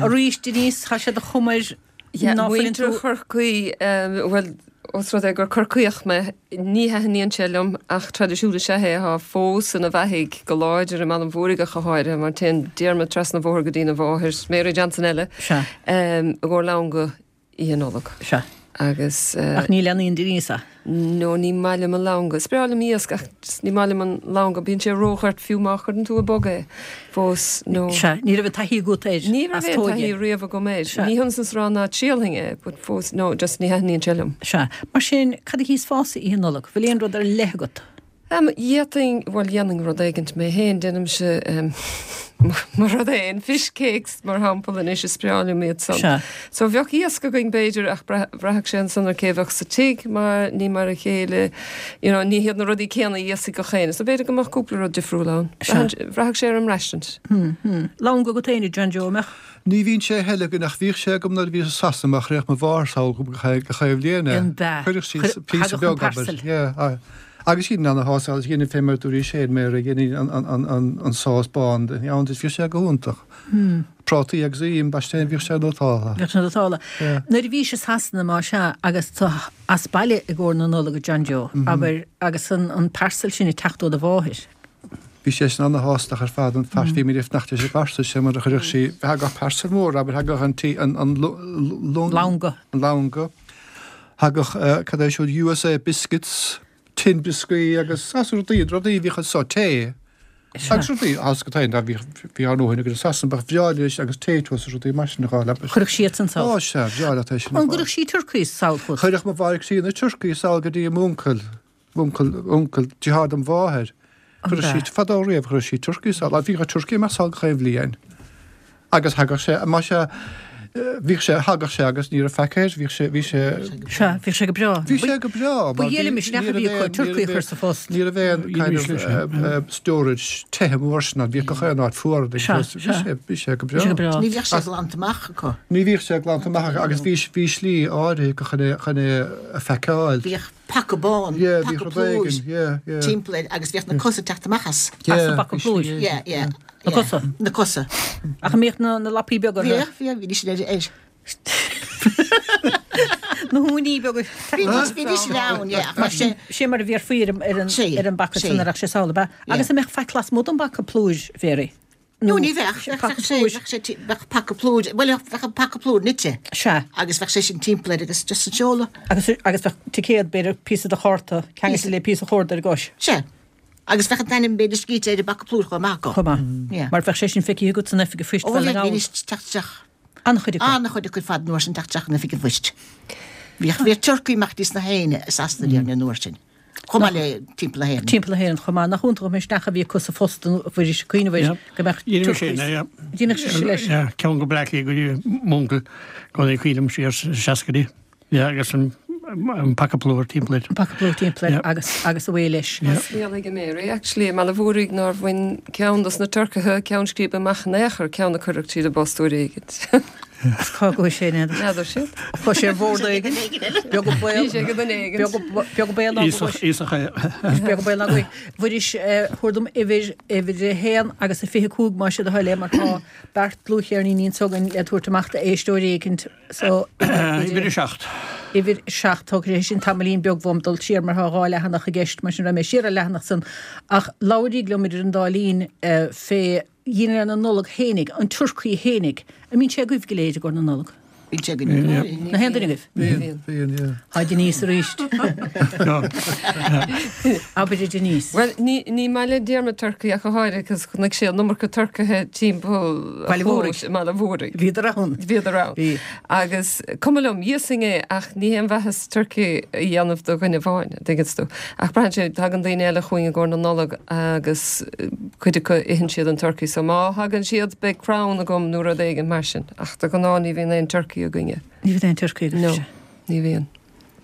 Arís, Denise, tá sé de chuma air Yeah, ná fuileann muintir tú- Chorcaí, bhuel, os rud é gur Corcaíoch mé, ní thaitníonn sé liom ach traidisiún is ea é atá fós ina bheathaigh go láidir i mBaile an Mhúraigh go háirithe, mar téann Diarmaid trasna an bhóthair go dtína mháthair, Mary Johnson eile, Sea. i gcomhair langa Oíche Nollag. Sea. Agus eh, Ach ní leanaíonn Denise é. No ní maith liom an langan. Is breá liom iasc ach just ní maith liom an langan, bíonn sé ródhoirt fiú má chuireann tú i bog é fós nó. Sea, ní raibh taithí agat air Ní raibh as aon tóige. taithí riamh agam air. Sea. Ní hionann is a rá ná triailfinn é, but fós no just ní thaitníonn sé liom. Sea, mar sin cad a thíosfása Oíche Nollag, bhfuil aon rud ar leith agat? Um, Dhéanfainn bhuel dhéanfainn rud éigint mé féin déanaimse um, mar rud éin fish cakes mar shampla anois is breá liom iad san. Sea. So bheadh iasc againn b'fhéidir ach bhraithfeadh sé ansan ar cé bheadh sa tigh mar ní mar a chéile you know, ní hiad na rudaí céanna a íosfaidh gach éinne, so b'fhéidir go mbeadh cúpla rud difriúil ann. Sea. Bhraithfeadh sé ar an mbraistint. Hmm, hmm. Langa agat féin John Joe mbeadh? Ní bhíonn sé heile go nach bhíodh sé agam nuair a bhí i Sasana mar chuireadh mo mháthair sall go chaoi bhliana. An bea. Chuireadh sí Chuir- píosa thagadh an beag abair. parcel. Yeah, aye. Agus sí an hás agus dhéanamh fé mar dúirí sé mé a dhéanamh an, an, an, an, an sás bán ann bhí sé go hiontach. Hmm. Prátaí agus im baiste bhí sé nótála. Bheadh sé nótála. Yeah. Nuair a bhí sé Sasana má sea agus tú as baile i gcomhair na Nollag a John Joe, Mhm. abair agus an, an parcel sin ag teacht ó do mháthair. Bhí sé sin an-shásta ar fad an fear bhí mé nach sé parcel sé mar a chuireadh sí thagadh parcel mór abair thagadh an tí an an lung Langa. an langa. Thagadh uh, cad é siúd USA biscuits, tin biscuit agus as rudaí rudaí bhí chun sá tae. Agus rudaí as go tain bhí bhí an nóhain agus Sasana bheadh breá leis agus tae tuas rudaí mar sin dhá le. Chuirfeadh siad san sall. Ó sea, breá leat é sin. An gcuirfeadh sí turcaí sall chugat? Chuirfeadh mo mháthair sí na turcaí sall go dtí a m'uncail, m'uncail, uncail deartháir dem mháthair. Chuir sí fadó riamh chuir sí turcaí sall, bhí a turcaí mar sall go bhliain. Agus thagadh sé má sé bhí sé thagadh sé agus ní raibh faic air, bhí sé bhí sé Sea, bhí sé go breá. Bhí sé go breá. Ba ghéile misneach a bhí acu turcaí a chur sa phost. Ní raibh aon kind of uh, uh, storage tithe mór sin, bhí gach aon áit fuar. Sea, Bhí sea. sé bhí sé go Bhí sé go breá. breá. Ní bheadh sé glanta amach acu. Ní bhíodh sé glanta amach agus bhí bhí slí áirithe go chun é chun é a phacáil. Bhíodh paca bán, Yeah, bhíodh paca rud plúir éigin, yeah, yeah. timpeall air agus bhíodh na cosa teacht amach as. As an bpaca bhí plúir. slí éigin. Yeah, yeah. Na yeah. cosa? Na cosa. Ach an mbíodh na, na lapaí beaga orthu? Bhíodh, bhíodh, bhí sin ar air. Na húiní beaga. Bhí bhí sin ann, yeah. Ach mar sé, Sé mar a bhí ar faoi ar an, Sé, ar an bpaca sé. san a raibh sé sall, ba. Agus an mbeadh faic lasmuigh den bpaca plúir, Mary? No, ní bheadh, paca bheadh sé, plúir. bheadh sé, ti- bheadh paca plúir, bhuel, bheadh an paca plúir nite. Sea. Agus bheadh sé sin timpeall air agus just an seoladh. Agus, agus bheadh ticéad b'fhéidir píosa de chárta, ceangailte le píosa chorda ar gcois. Sea. Agus bheadh an t-ainm b'fhéidir scríte ar an bpaca plúir chomh maith acu. Chomh maith. Yeah. Mar bheadh sé sin feicthe agat san oifig an phoist Ó, Bhaile bheadh na nGall. bhí teacht isteach. An-chuid acu. An-chuid acu fad an uair sin teacht isteach in oifig an phoist. Bhíodh bhíodh turcaí amach dtí sna héinne i Sasana mm. an uair sin. Chomh maith le timpeall na hÉireann. Timpeall na hÉireann chomh maith nach iontach an misneach a bhí acu sa phost an bhfuil cuimhneamh go mbeadh Dhéanamh sé, turcaí. yeah. Dhéanfadh sé leis. Yeah, ceann go Bleá Cliath go dtí m'uncail go dtí cuimhním siar sna seascaidí. Yeah, agus an an paca plúir timpeall air. An paca plúir timpeall air Yeah. agus agus away leis. Scéal ag Mary, actually, mar a bhúraigh nár bhain ceann dos na turcaithe ceann scríbe amach in aon chor ceann a cuireadh tríd an bpost uair éigin. Cá go sé ne. N'fheadar siad. Chuaigh sé ar bhord éigin. Beag an baol. Bhí sé go duine éigin. Beag an baol ná go Íosach íosach é. Beag an baol ná go. Mhuiris tabhair dom uimhir uimhir a haon agus a fiche cúig más sé do thoil é mar tá beart dlúthcheirníní anseo againn le tabhairt amach d'éisteoirí éigin. So Uimhir a seacht. Uimhir seacht tógfaidh sé sin tamaillín beag uaim dul siar mar tá dhá leathanach i gceist mar sin raibh mé siar ar leathanach san ach labhraíg liom idir an dá linn eh, fé dhinnéar na Nollag fhéinig, an turcaí fhéinig, an mbíonn sé agaibh go léir i gcomhair na Nollag. Bíonn sé againn. Na haon duine agaibh? Bíonn, bíonn, yeah. Tá Denise arís. Abair a Denise. Well, ní ní maith le Diarmuid turcaí ach go háirithe, cos chonaic sé an iomarca turcaithe timpeall Baile Mhúraigh. chlóis i mBaile Mhúraigh. Bhíodar ann. Bhíodar ann. Bhí. Agus cuma liom íosfainn é ach ní haon mhaitheas turcaí a dhéanamh do dhuine amháin, tuigeann tú. Ach braitheann sé tagann daoine eile chugainn i gcomhair na Nollag agus eh, cuid acu itheann siad an turcaí, so má thagann siad beidh crann agam nó rud éigin mar sin. Ach de ghnáth ní bhíonn aon turcaí againne. Ní bhíonn aon turcaí agaibh No, sé. ní bhíonn.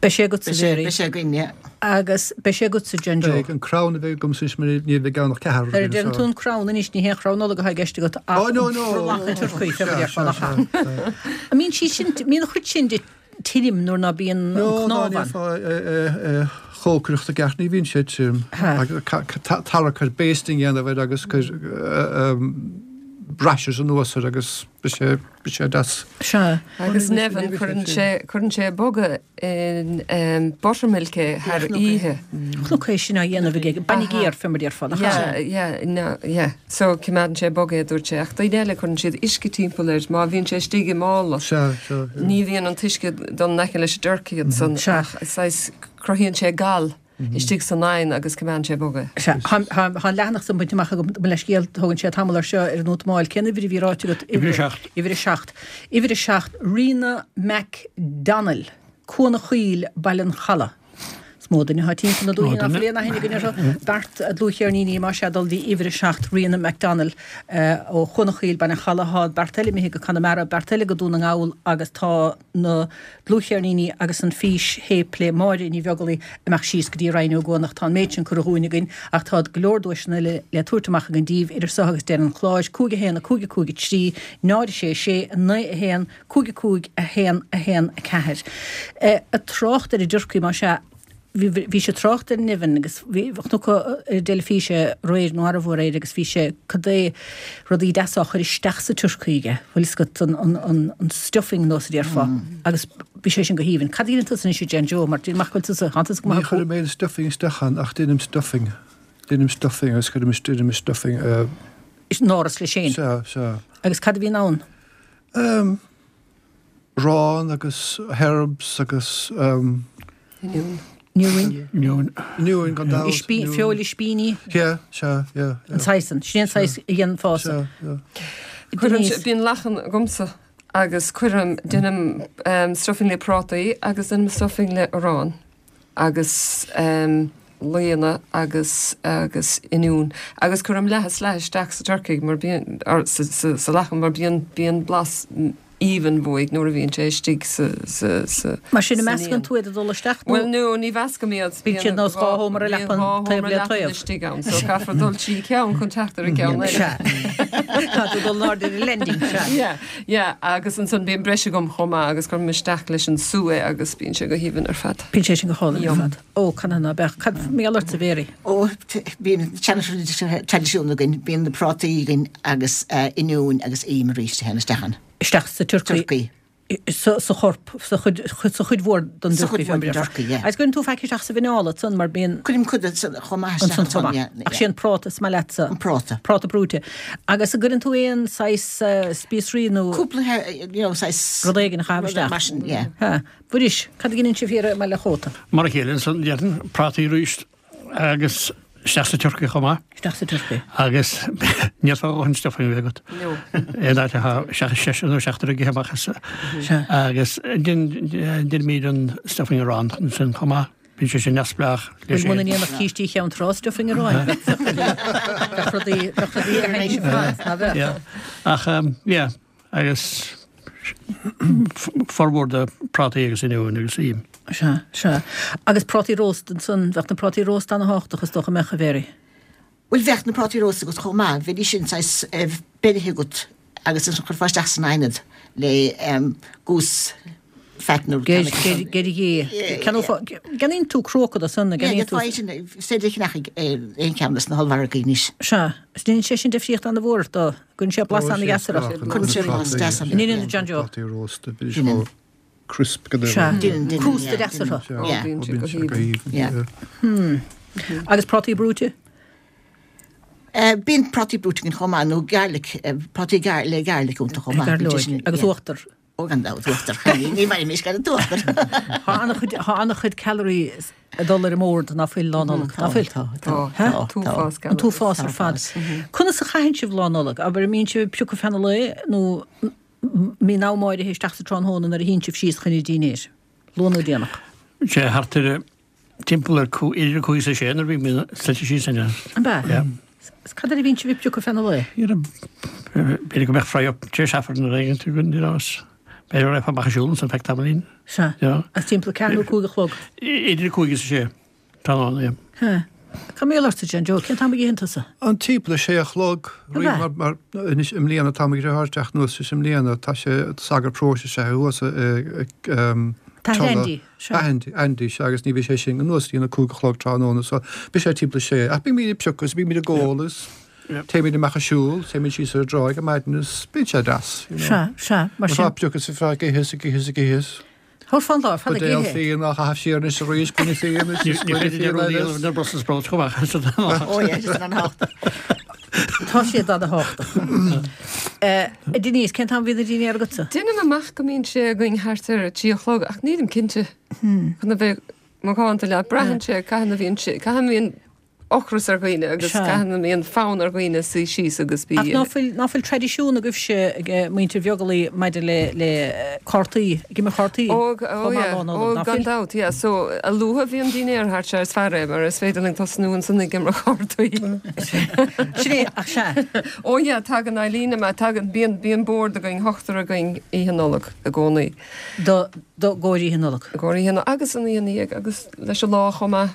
Beidh sé agat sa Beidh sé- Mary. beidh sé againn, yeah. Agus beidh sé agat sa John Joe. Beidh an crann a bheidh agam is ní bheidh ann ach ceathrar Ar deireann tú an crann anois ní haon chrann Nollag atá i gceist agat ach Oh, no, no. brollach an turcaí fé Sea, mar sea, a sea, sea. An mbíonn sí sin mbíonn an chuid sin de tirim nuair ná bíonn an No, cnámh ná ann. ní chócaireacht i gceart ní bhíonn sé tirim. Ha. Agus ca- ca- ta- Tara cur basting dhéanamh air agus cur rashes anuas air agus bhí sé bhí sé deas. Sea. Agus Nevin, cuireann sé cuireann sé bogha in um, buttermilk é thar oíche. Chonac é sin á dhéanamh aige, bainne géar fé mar a déarfá, nach ea? Yeah, yeah, no, yeah. So coimeádann sé bog é, a dúirt sé, ach daoine eile cuireann siad uisce timpeall air má bhíonn sé istigh i mála. Sea, sea, yeah. Ní bhíonn an t-uisce dul in aice leis an dturcaí ansan Sea. ach saghas cruthaíonn sé gal istigh san oigheann agus coimeádann sé bog é. Sea, tá tá an leathanach san bainte amach agam, mo leithscéal, tógann sé tamall air seo ar an útamáil. Cén uimhir a bhí ráite agat? Uimhir a seacht. Uimhir a seacht. Uimhir a seacht, Ríona McDonnell, Cuan a' Choill, Baile an Chalaidh. Is mó duine atá timpeall na dúiche ná fuil aon aithne againn orthu. Beart dlúthcheirníní más ea dul dtí uimhir a seacht, Ríona McDonnell, ó Chuan a' Choill, Baile an Chalaidh. Tá beart eile imithe go Conamara, beart eile go Dún na nGall agus tá na dlúthcheirníní agus an físthéip le Máire Ní Bheaglaoich amach síos go dtí Rinn Ó gCuanach. Tá an méid sin curtha dhúinn againn ach tá go leor duaiseanna eile le tabhairt amach againn daoibh idir seo agus deireadh an chláir, cúig a haon, a cúig a cúig a trí, náid a sé sé, a naoi a haon, cúig a cúig, a haon a haon a ceathair. Ag trácht ar an dturcaí más ea, bhí bhí sé ag trácht ar Nevin agus bhí chonac ar an dteilifís é aréir nó arbh aréir agus bhí sé cad é rudaí deasa á chur isteach sa turcaí aige, bhfuil fhios agat an an an an stuffing nós a déarfá agus bhí sé sin go haoibhinn. Cad a dhéanann tusa anois a John Joe mar déanaim amach go bhfuil tusa, thánn tusa go Ní maith chuirim aon stuffing isteach ann ach déanaim stuffing. Déanaim stuffing agus cuirim déanaim stuffing. Uh, in áras leis féin. Sea, sea. Agus cad a bhíonn ann? Um, arán agus herbs agus um, Oinniún. Oinniúin. Oinniún. Oinniúin gan dabht. Ispín, feoil ispíní. Yeah, sea, yeah. An saghas san. Sin an saghas a dhéanfása. Sea, yeah. Cuirim, bíonn lachan agamsa agus cuirim, déanaim um, stuffing le prátaí agus déanaim stuffing le arán agus um, laonna agus agus oinniún agus cuirim leath is leath isteach sa turcaí mar bíonn or sa, sa, sa lachan mar bíonn bíonn blas aoibhinn uaidh nuair a bhíonn sé istigh sa sa sa Mar sin a san meascann fhíon. tú iad ag dul isteach nó? Bhuel no, ní mheascaim iad. Bíonn siad nós dhá sheomra leapan taobh le taobh. istigh ann, so caithfear dul trí ceann chun teacht ar an gceann eile. Sea. Tá tú dul in airde ar an landing, sea. Yeah, yeah, agus ansan bíonn breis agam chomh maith agus cuirim isteach leis an sú é agus bíonn sé go haoibhinn ar fad. Bíonn sé sin go hálainn ar Yum. fad. Ó, can ná beach. Cad mar gheall ortsa a Mhéaraí? Ó, bíonn traidisiún againn, bíonn na prátaí againn agus eh, oinniúin agus im arís a théann isteach ann. Isteach sa turcaí. Turcaí. Sa sa chorp, sa chuid sa chuid mhór den Sa dturcaí chuid mhór den dturcaí, yeah. Agus cuireann tú faic isteach sa mhineál ansan mar bíonn Cuirim cuid ansan chomh maith ansan isteach chomh ansan, maith. yeah, Ach yeah. sé an práta is maith leatsa. An práta. Práta brúite. Agus an gcuireann tú aon saghas eh, spíosraí nó Cúpla, eh, you know, saghas rud éigin a chaitheamh rud isteach. mar sin, yeah. Ha. Mhuiris, cad a dhéanann sibh thiar i mBaile Chóta? Mar a chéile ansan déarfainn prátaí arís agus isteach sa turcaí chomh maith. Isteach sa turcaí. Agus níl a dhóthain stuffing a bheith agat. No. Aon áit atá seach seisear nó seachtar ag ithe amach as. Sea. Agus déanaimid an stuffing arán ansin chomh maith. Bíonn sé sin neamhspleách leis Bhuel muna féin. ndéanfadh cístí Cheann Trá stuffing aráin. Bheadh rudaí bheadh rudaí go hainnis ar fad, ná bheadh? Yeah. Ach um, yeah, agus formhór de prátaí agus oinniúin agus im. Sea, sea. Agus prátaí rósta ansan, bheadh na prátaí rósta ana-thábhachtach is dócha mbeadh a Mhéaraí. Bhuel bheadh na prátaí rósta agat chomh maith, bheidís sin saghas eh, beirthe agat agus ansan chuirfeá isteach san oigheann iad le um, goose fat nó Geir geir gé. Ceannaíonn tú cróca ansan, Yeah, ceannaíonn tú. tú sin féidir ceannach aon cheann sna hollmhargaí anois. Sea, is déanann sé sin difríocht an-mhór dó, cuireann sé blas an-dheas air. Cuireann sé blas deas air. Ní John Joe. Prátaí rósta, bíonn Déanann. sé crisp go Sea. Déanann, déanann, Crústa yeah, deas orthu. Sea, Yeah. ó, Bíonn sé bíonn go sé go haoibhinn. haoibhinn, Yeah. yeah. Agus prátaí brúite? Eh, Bíonn prátaí brúite againn chomh maith nó garlic, eh, prátaí gar le garlic iontu chomh maith. Bíonn sé sin- Agus yeah. uachtar. Ó gan dabht uachtar. Ní mhair gan an t-uachtar. Tá an-chuid tá an-chuid calorie ag dul ar an mbord ná fuil Lá Nollag. Ná fuil. Tá, Tá, tá, tá, t-uafás An t-uafás ar fad. Conas a chaitheann sibh Lá Nollag, abair an mbíonn sibh ag piocadh feadh an lae nó mbíonn am áirithe isteach sa tráthnóna nuair a théann sibh síos chun an dinnéir. Luath nó déanach. Sé thart ar timpeall ar cú idir cúig is a sé nuair a bhí mé suite síos in. An bea? Yeah. Cad air a bhíonn sibh ag piocadh feadh an lae? B'fhéidir go mbeadh fry up tar éis Aifreann nó éigin tú go ndéanás. B'fhéidir raibh amach siúl san feadh tamaillín. Sea. Yeah. Agus timpeall ceathrú cúig a chlog. Idir cúig is a sé. Tá an, yeah. Ha. Cad mar gheall ortsa John Joe, cén t-am a itheann tusa? An timpeall a sé a chlog An bea? mar mar anois i mbliana tá ag teacht anuas is i mbliana tá sé sagart paróiste sé thuas Tá Andy, sea. Andy Andy sé agus ní bhí sé sin anuas dtí na cúig a chlog tráthnóna so bhí sé timpeall a sé ach bímid ag piocadh bímid ag ól is Téimid amach ag siúl, téimid síos ar an dtráigh ar maidin is bíonn sé deas, you know. Sea, sea, mar sin. Tá piocadh sa feadh ag ithe is ag ithe is ag ithe is. Thabharfá an lá ar fad ag Buidéal ithe. fíon á chaitheamh siar anois arís, gloine fíon anois is Ní gloine féidir fíon rud a eile. dhéanamh na Brussels sprouts chomh maith. Ó yeah, just an thábhachtach. Tá siad an-thábhachtach. A Denise, cén t-am a bhíonn an dinnéar agatsa? Déanaim amach go mbíonn sé againn thart ar a trí a chlog, ach nílim cinnte. Chun a bheith macánta leat, braitheann sé cathain a bhíonn sé, cathain a bhíonn ocras ar dhaoine agus Sea. cathain a mbíonn fonn ar dhaoine suí síos agus bí. Ach ná fuil ná fuil traidisiún agaibhse ag muintir Bheaglaoich maidir le le cártaí, ag imirt cártaí? Ó, ó, Chomh maith yeah. lá Nollag, Ó, ná gan fuil? dabht, yeah. So, a luaithe a bhíonn dinnéar thart sé is fearr é, mar is féidir linn tosnú ansan ag imirt cártaí. Sin é, ach sea. Ó, yeah, tagann Eileen amach, tagann, bíonn, bíonn bord againn, ochtar againn Oíche Nollag i gcónaí. Do, do gcomhair Oíche Nollag. I gcomhair Oíche Nollag, agus an oíche ina dhiaidh, agus leis an lá chomh maith.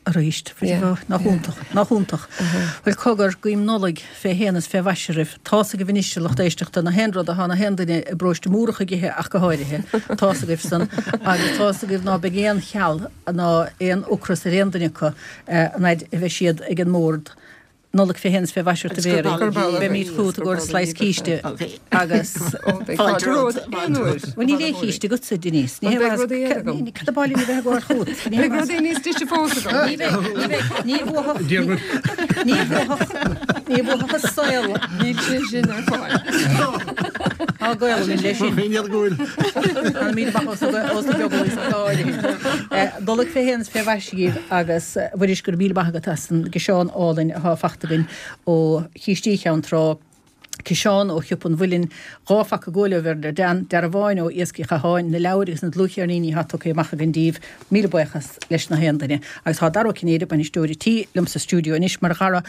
Arís, Yeah, nach iontach, nach iontach. Bhuel cogar guím Nollaig fé shéan is fé mhaise oraibh. Tá's agaibh anois a lucht éisteachta na haon rud atá na haon duine i bparóiste Múrach ag ithe ach go háirithe. Tá's agaibh san agus tá's agaibh ná beidh aon cheal ná aon ocras ar aon duine acu an fhaid a bheidh siad ag an mbord. Nollaig fé shéan is fé mhaise ort a Agus gur Mhéaraí. ballaí. Beimid chugat i gcomhair slice císte agus Ó, beidh Fáilte fáilte romhat, romhat aon uair. Bhuel níl aon chíste agatsa, Denise. Ní Bhuel, beidh hé rudaí eile agam. Cad ab áil liom a bheith ag gabháil chugat? Ní Beidh hé rudaí níos deise fós agam. Ní bheidh, ní bheidh, ní bhuafadh, ní bhuafadh, ní bhuafadh an saol. Níl sé sin ar fáil. Tá gaol linn leis sin. Féin iad go bhfuil. Tá míle maith os os na Beaglaoich sa áirithe. Nollaig fé shéan is fé mhaise dhaoibh agus Mhuiris go raibh míle maith agat as an gciseán álainn atá fachta againn ó Chístí Cheann Trá. Ciseán ó Shiopa an Mhuilinn, dhá phaca guaile ó Werner Dan, dearbháin ó Iascaigh Chatháin, na leabhair agus na dlúthcheirníní atá tugtha amach againn daoibh, míle buíochas leis na haon duine. Agus tá Dara Ó Cinnéide, bainisteoir an tí liom sa stiúideo anois mar dhara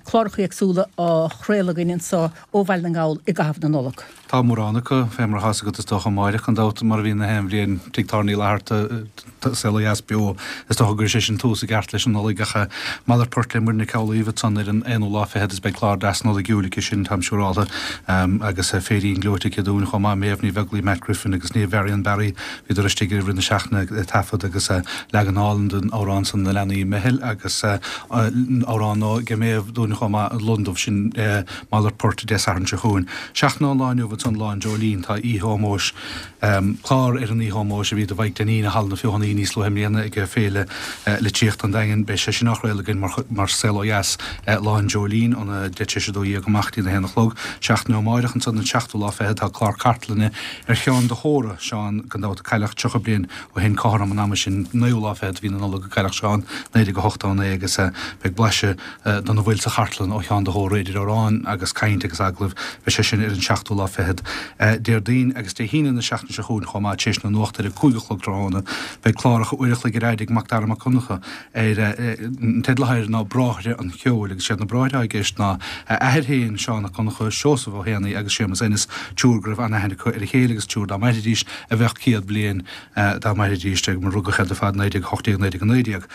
cláracha éagsúla á chraoladh againn anseo ó Bhaile na nGall i gcaitheamh na Nollag. Tá mórán acu fé mar atá agat is dócha amárach gan dabht mar a bhíonn na haon bhliain Tigh Tábhairne Uí Fhlatharta Saol Ó Dheas beo is dócha gur sé sin tús i gceart leis an Nollaig ach malairt poirt le Muireann Nic Amhlaoibh ansan ar an aonú lá fichead is beidh clár deas Nollaigiúil aici sin táim siúrálta agus féirín gleoite aici dúinn chomh maith Méabh Ní Bheaglaoich Matt Griffin agus Niamh Varian Barry bhíodar istigh i rith na seachtaine ag taifead agus leagan álainn den amhrán san na leanaí meitheal agus amhrán ó Méabh dúinn chomh maith an Londubh sin malairt poirt Dé Sathairn seo chugainn. Seachtain ón lá inniu ansan Lá an Dreoilín tá oíche ómóis clár ar an oíche ómóis a bhí do Mhaidhc Dainín i Halla na Feothanaí níos luaithe i mbliana ag Féile Litríochta an Daingin beidh sé sin á chraoladh againn mar mar Saol Ó Dheas Lá an Dreoilín óna deich tar éis a dó dhéag amach dtí na haon a chlog. Seachtain ó amárach ansan an seachtú lá fichead tá clár cartlainne ar Sheán de hÓra Seán gan dabht a cailleadh tríocha bliain ó shin cothrom an ama sin naoú lá fichead de mhí na Nollag a cailleadh Seán naoi déag a hocht a naoi agus beidh blaiseadh de na bhfuil sa chartlann ó Sheán de hÓra idir amhráin agus caint agus agallaimh beidh sé sin ar an seachtú lá fichead Déardaoin agus Dé hAoine na seachtaine seo chugainn chomh maith tar éis na nuachta ar a cúig a chlog tráthnóna beidh cláracha uair a chloig ar fhad ag Mac Dara Mac Donncha ar an teideal atá air ná Bráithre an Cheoil agus siad na bráithre i gceist ná a athair féin Seán Mac Donncha Seosamh Ó hÉanaí agus Séamus Ennis triúr go raibh an-aithne acu ar a chéile agus triúr dá mairfidís a bheadh céad bliain dá mairfidís ag mar rugadh iad ar fad naoi déag hocht déag naoi déag naoi déag.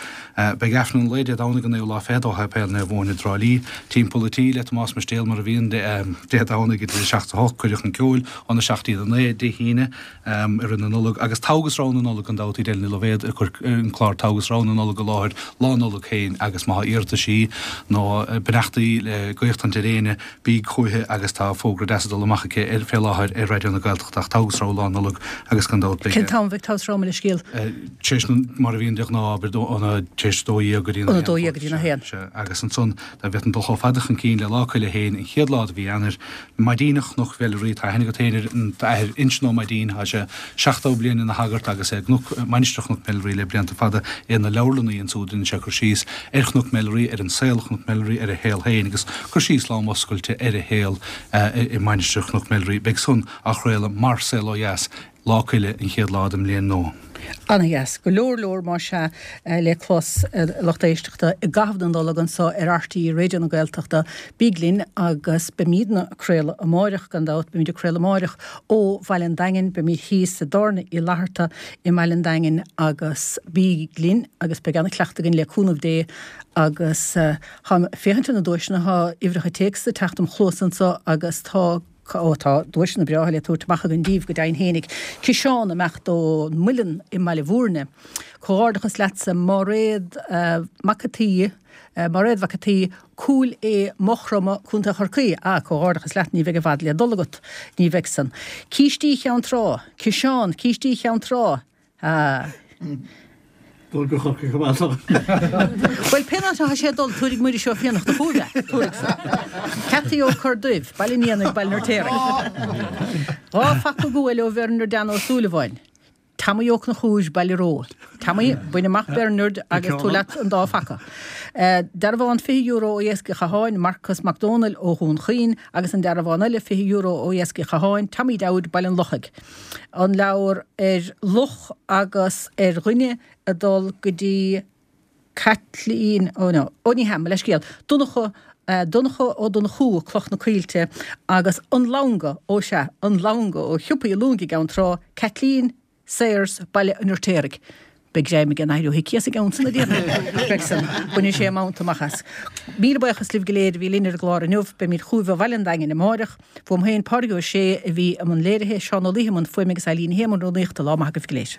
Beidh Aifreann an lae Dé Domhnaigh an naoú lá fichead ó Shéipéal Naomh Eoin i dTrá Lí timpeall an tí le Tomás Mistéal mar a bhíonn Dé Domhnaigh idir a seacht a hocht cuireadh an ceoil óna seacht dtí a naoi Dé hAoine i rith na Nollag agus Togha is Rogha na Nollag gan dabht Edel Ní Loibhéad ag cur an clár Togha is Rogha na Nollag i láthair Lá Nollag féin agus má tá iarrataisí nó beannachtaí le guíochtaint ar éinne bí chuiche agus tá fógra deas ag dul amach aici ar fé láthair ar Raidió na Gaeltachta ach Togha is Rogha Lá Nollag agus gan dabht Cén t-am a bheidh Togha is Rogha le scéal? Tar éis mar a bhíonn de ghnáth óna tar éis dó dhéag go dtí Óna dó dhéag go dtí na haon. Agus ansan dá bhféadfainn dul chomh fada chun cinn le Lá Coille féin an chéad lá de mhí Eanáir Maidín Chnoc Mheilearaí tá aithne agat féin ar an athair Uinseann Ó Maidín tá sé seachtó bliain ina shagart agus é gCnoc Mainistir Chnoc Mheilearaí le blianta fada é na leabharlannaí ansúd rinne sé cur síos ar Chnoc Mheilearaí ar an saol Chnoc Mheilearaí ar a shaol féin agus cur síos lán oscailte ar a shaol i Mainistir Chnoc Mheilearaí beidh san á chraoladh mar Saol Ó Dheas Lá Coille an chéad lá den mbliain nua. Ana-dheas, go leor leor má sea le clos lucht éisteachta i gcaitheamh na Nollag anseo ar RTÉ Raidió na Gaeltachta. Bíg linn agus beimidne ag craoladh amáireach gan dabht, beimid ag craoladh amáireach ó Bhaile an Daingin, beimid thíos i dTábhairne Uí Fhlatharta i mBaile an Daingin agus bíg linn agus beidh ana-chleachtadh againn le cúnamh Dé agus táim ag féachaint ar na duaiseanna, tá uimhreacha téacs ag teacht im chluas anseo agus tá Ó tá duaiseanna breátha le tabhairt amach againn daoibh go deimhin fhéinig. Ciseán amach ón Muileann i mBaile Bhúirne. Comhghairdeachas leatsa Máiréad Mac a' tSaoi, Máiréad Mhac a' tSaoi, Cúil Aodha, Maigh Chromtha, Contae Chorcaí. Ah, comhghairdeachas leat, ní bheidh i bhfad le dul agat, ní bheidh san. Cístí Cheann Trá, Ciseán, Cístí Cheann Trá. Ah. Dul go Corcaigh chomh maith. Bhuel, pén áit atá sé ag dul, tabharfaidh Muiris Ó Fiannachta chugaibh é. Tabharfaidh san. Ceataí Ó Corrduibh, Baile an Éanaigh, Baile an Fheirtéaraigh. Dhá phaca guail ó Bhernard Dan Ó Súilleabháin. Tommy Ó Conchúir, Baile Ró. Tommy, bain amach Bernard agus tabhair leat an dá phaca. Dearbhán fiche euro ó Iascaigh Chatháin, Marcas Mac Dónaill ó Dhún Chaoin agus an dearbhán eile fiche euro ó Iascaigh Chatháin, Tommy Dowd, Baile an Lochaigh. An leabhar ar luch agus ar dhuine ag dul go dtí Caitlín, ó no, ó ní hea, mo leithscéal, Donncha, Donncha Ó Donnchú, Cloch na Coillte, agus An Longa, ó sea, An Longa ó Shiopaí Luing i gCeann Trá, Caitlín Sayers, Baile an Fheirtéaraigh. Beidh greim ag an Athair Ó hIcí as an gceann san a déarfainn. Beidh san. Bainfidh sé a mhonta amach as. Míle buíochas libh go léir a bhí linn ar an gclár inniu. Beimid chugaibh ó Bhaile an Daingin amáireach. Fúm féin, Pádraig Ó Sé a bhí i mbun léirithe, Seán Ó Laoithe i mbun fuaime agus Eileen Ní Shé i mbun rúnaíochta. Lá maith agaibh go léir.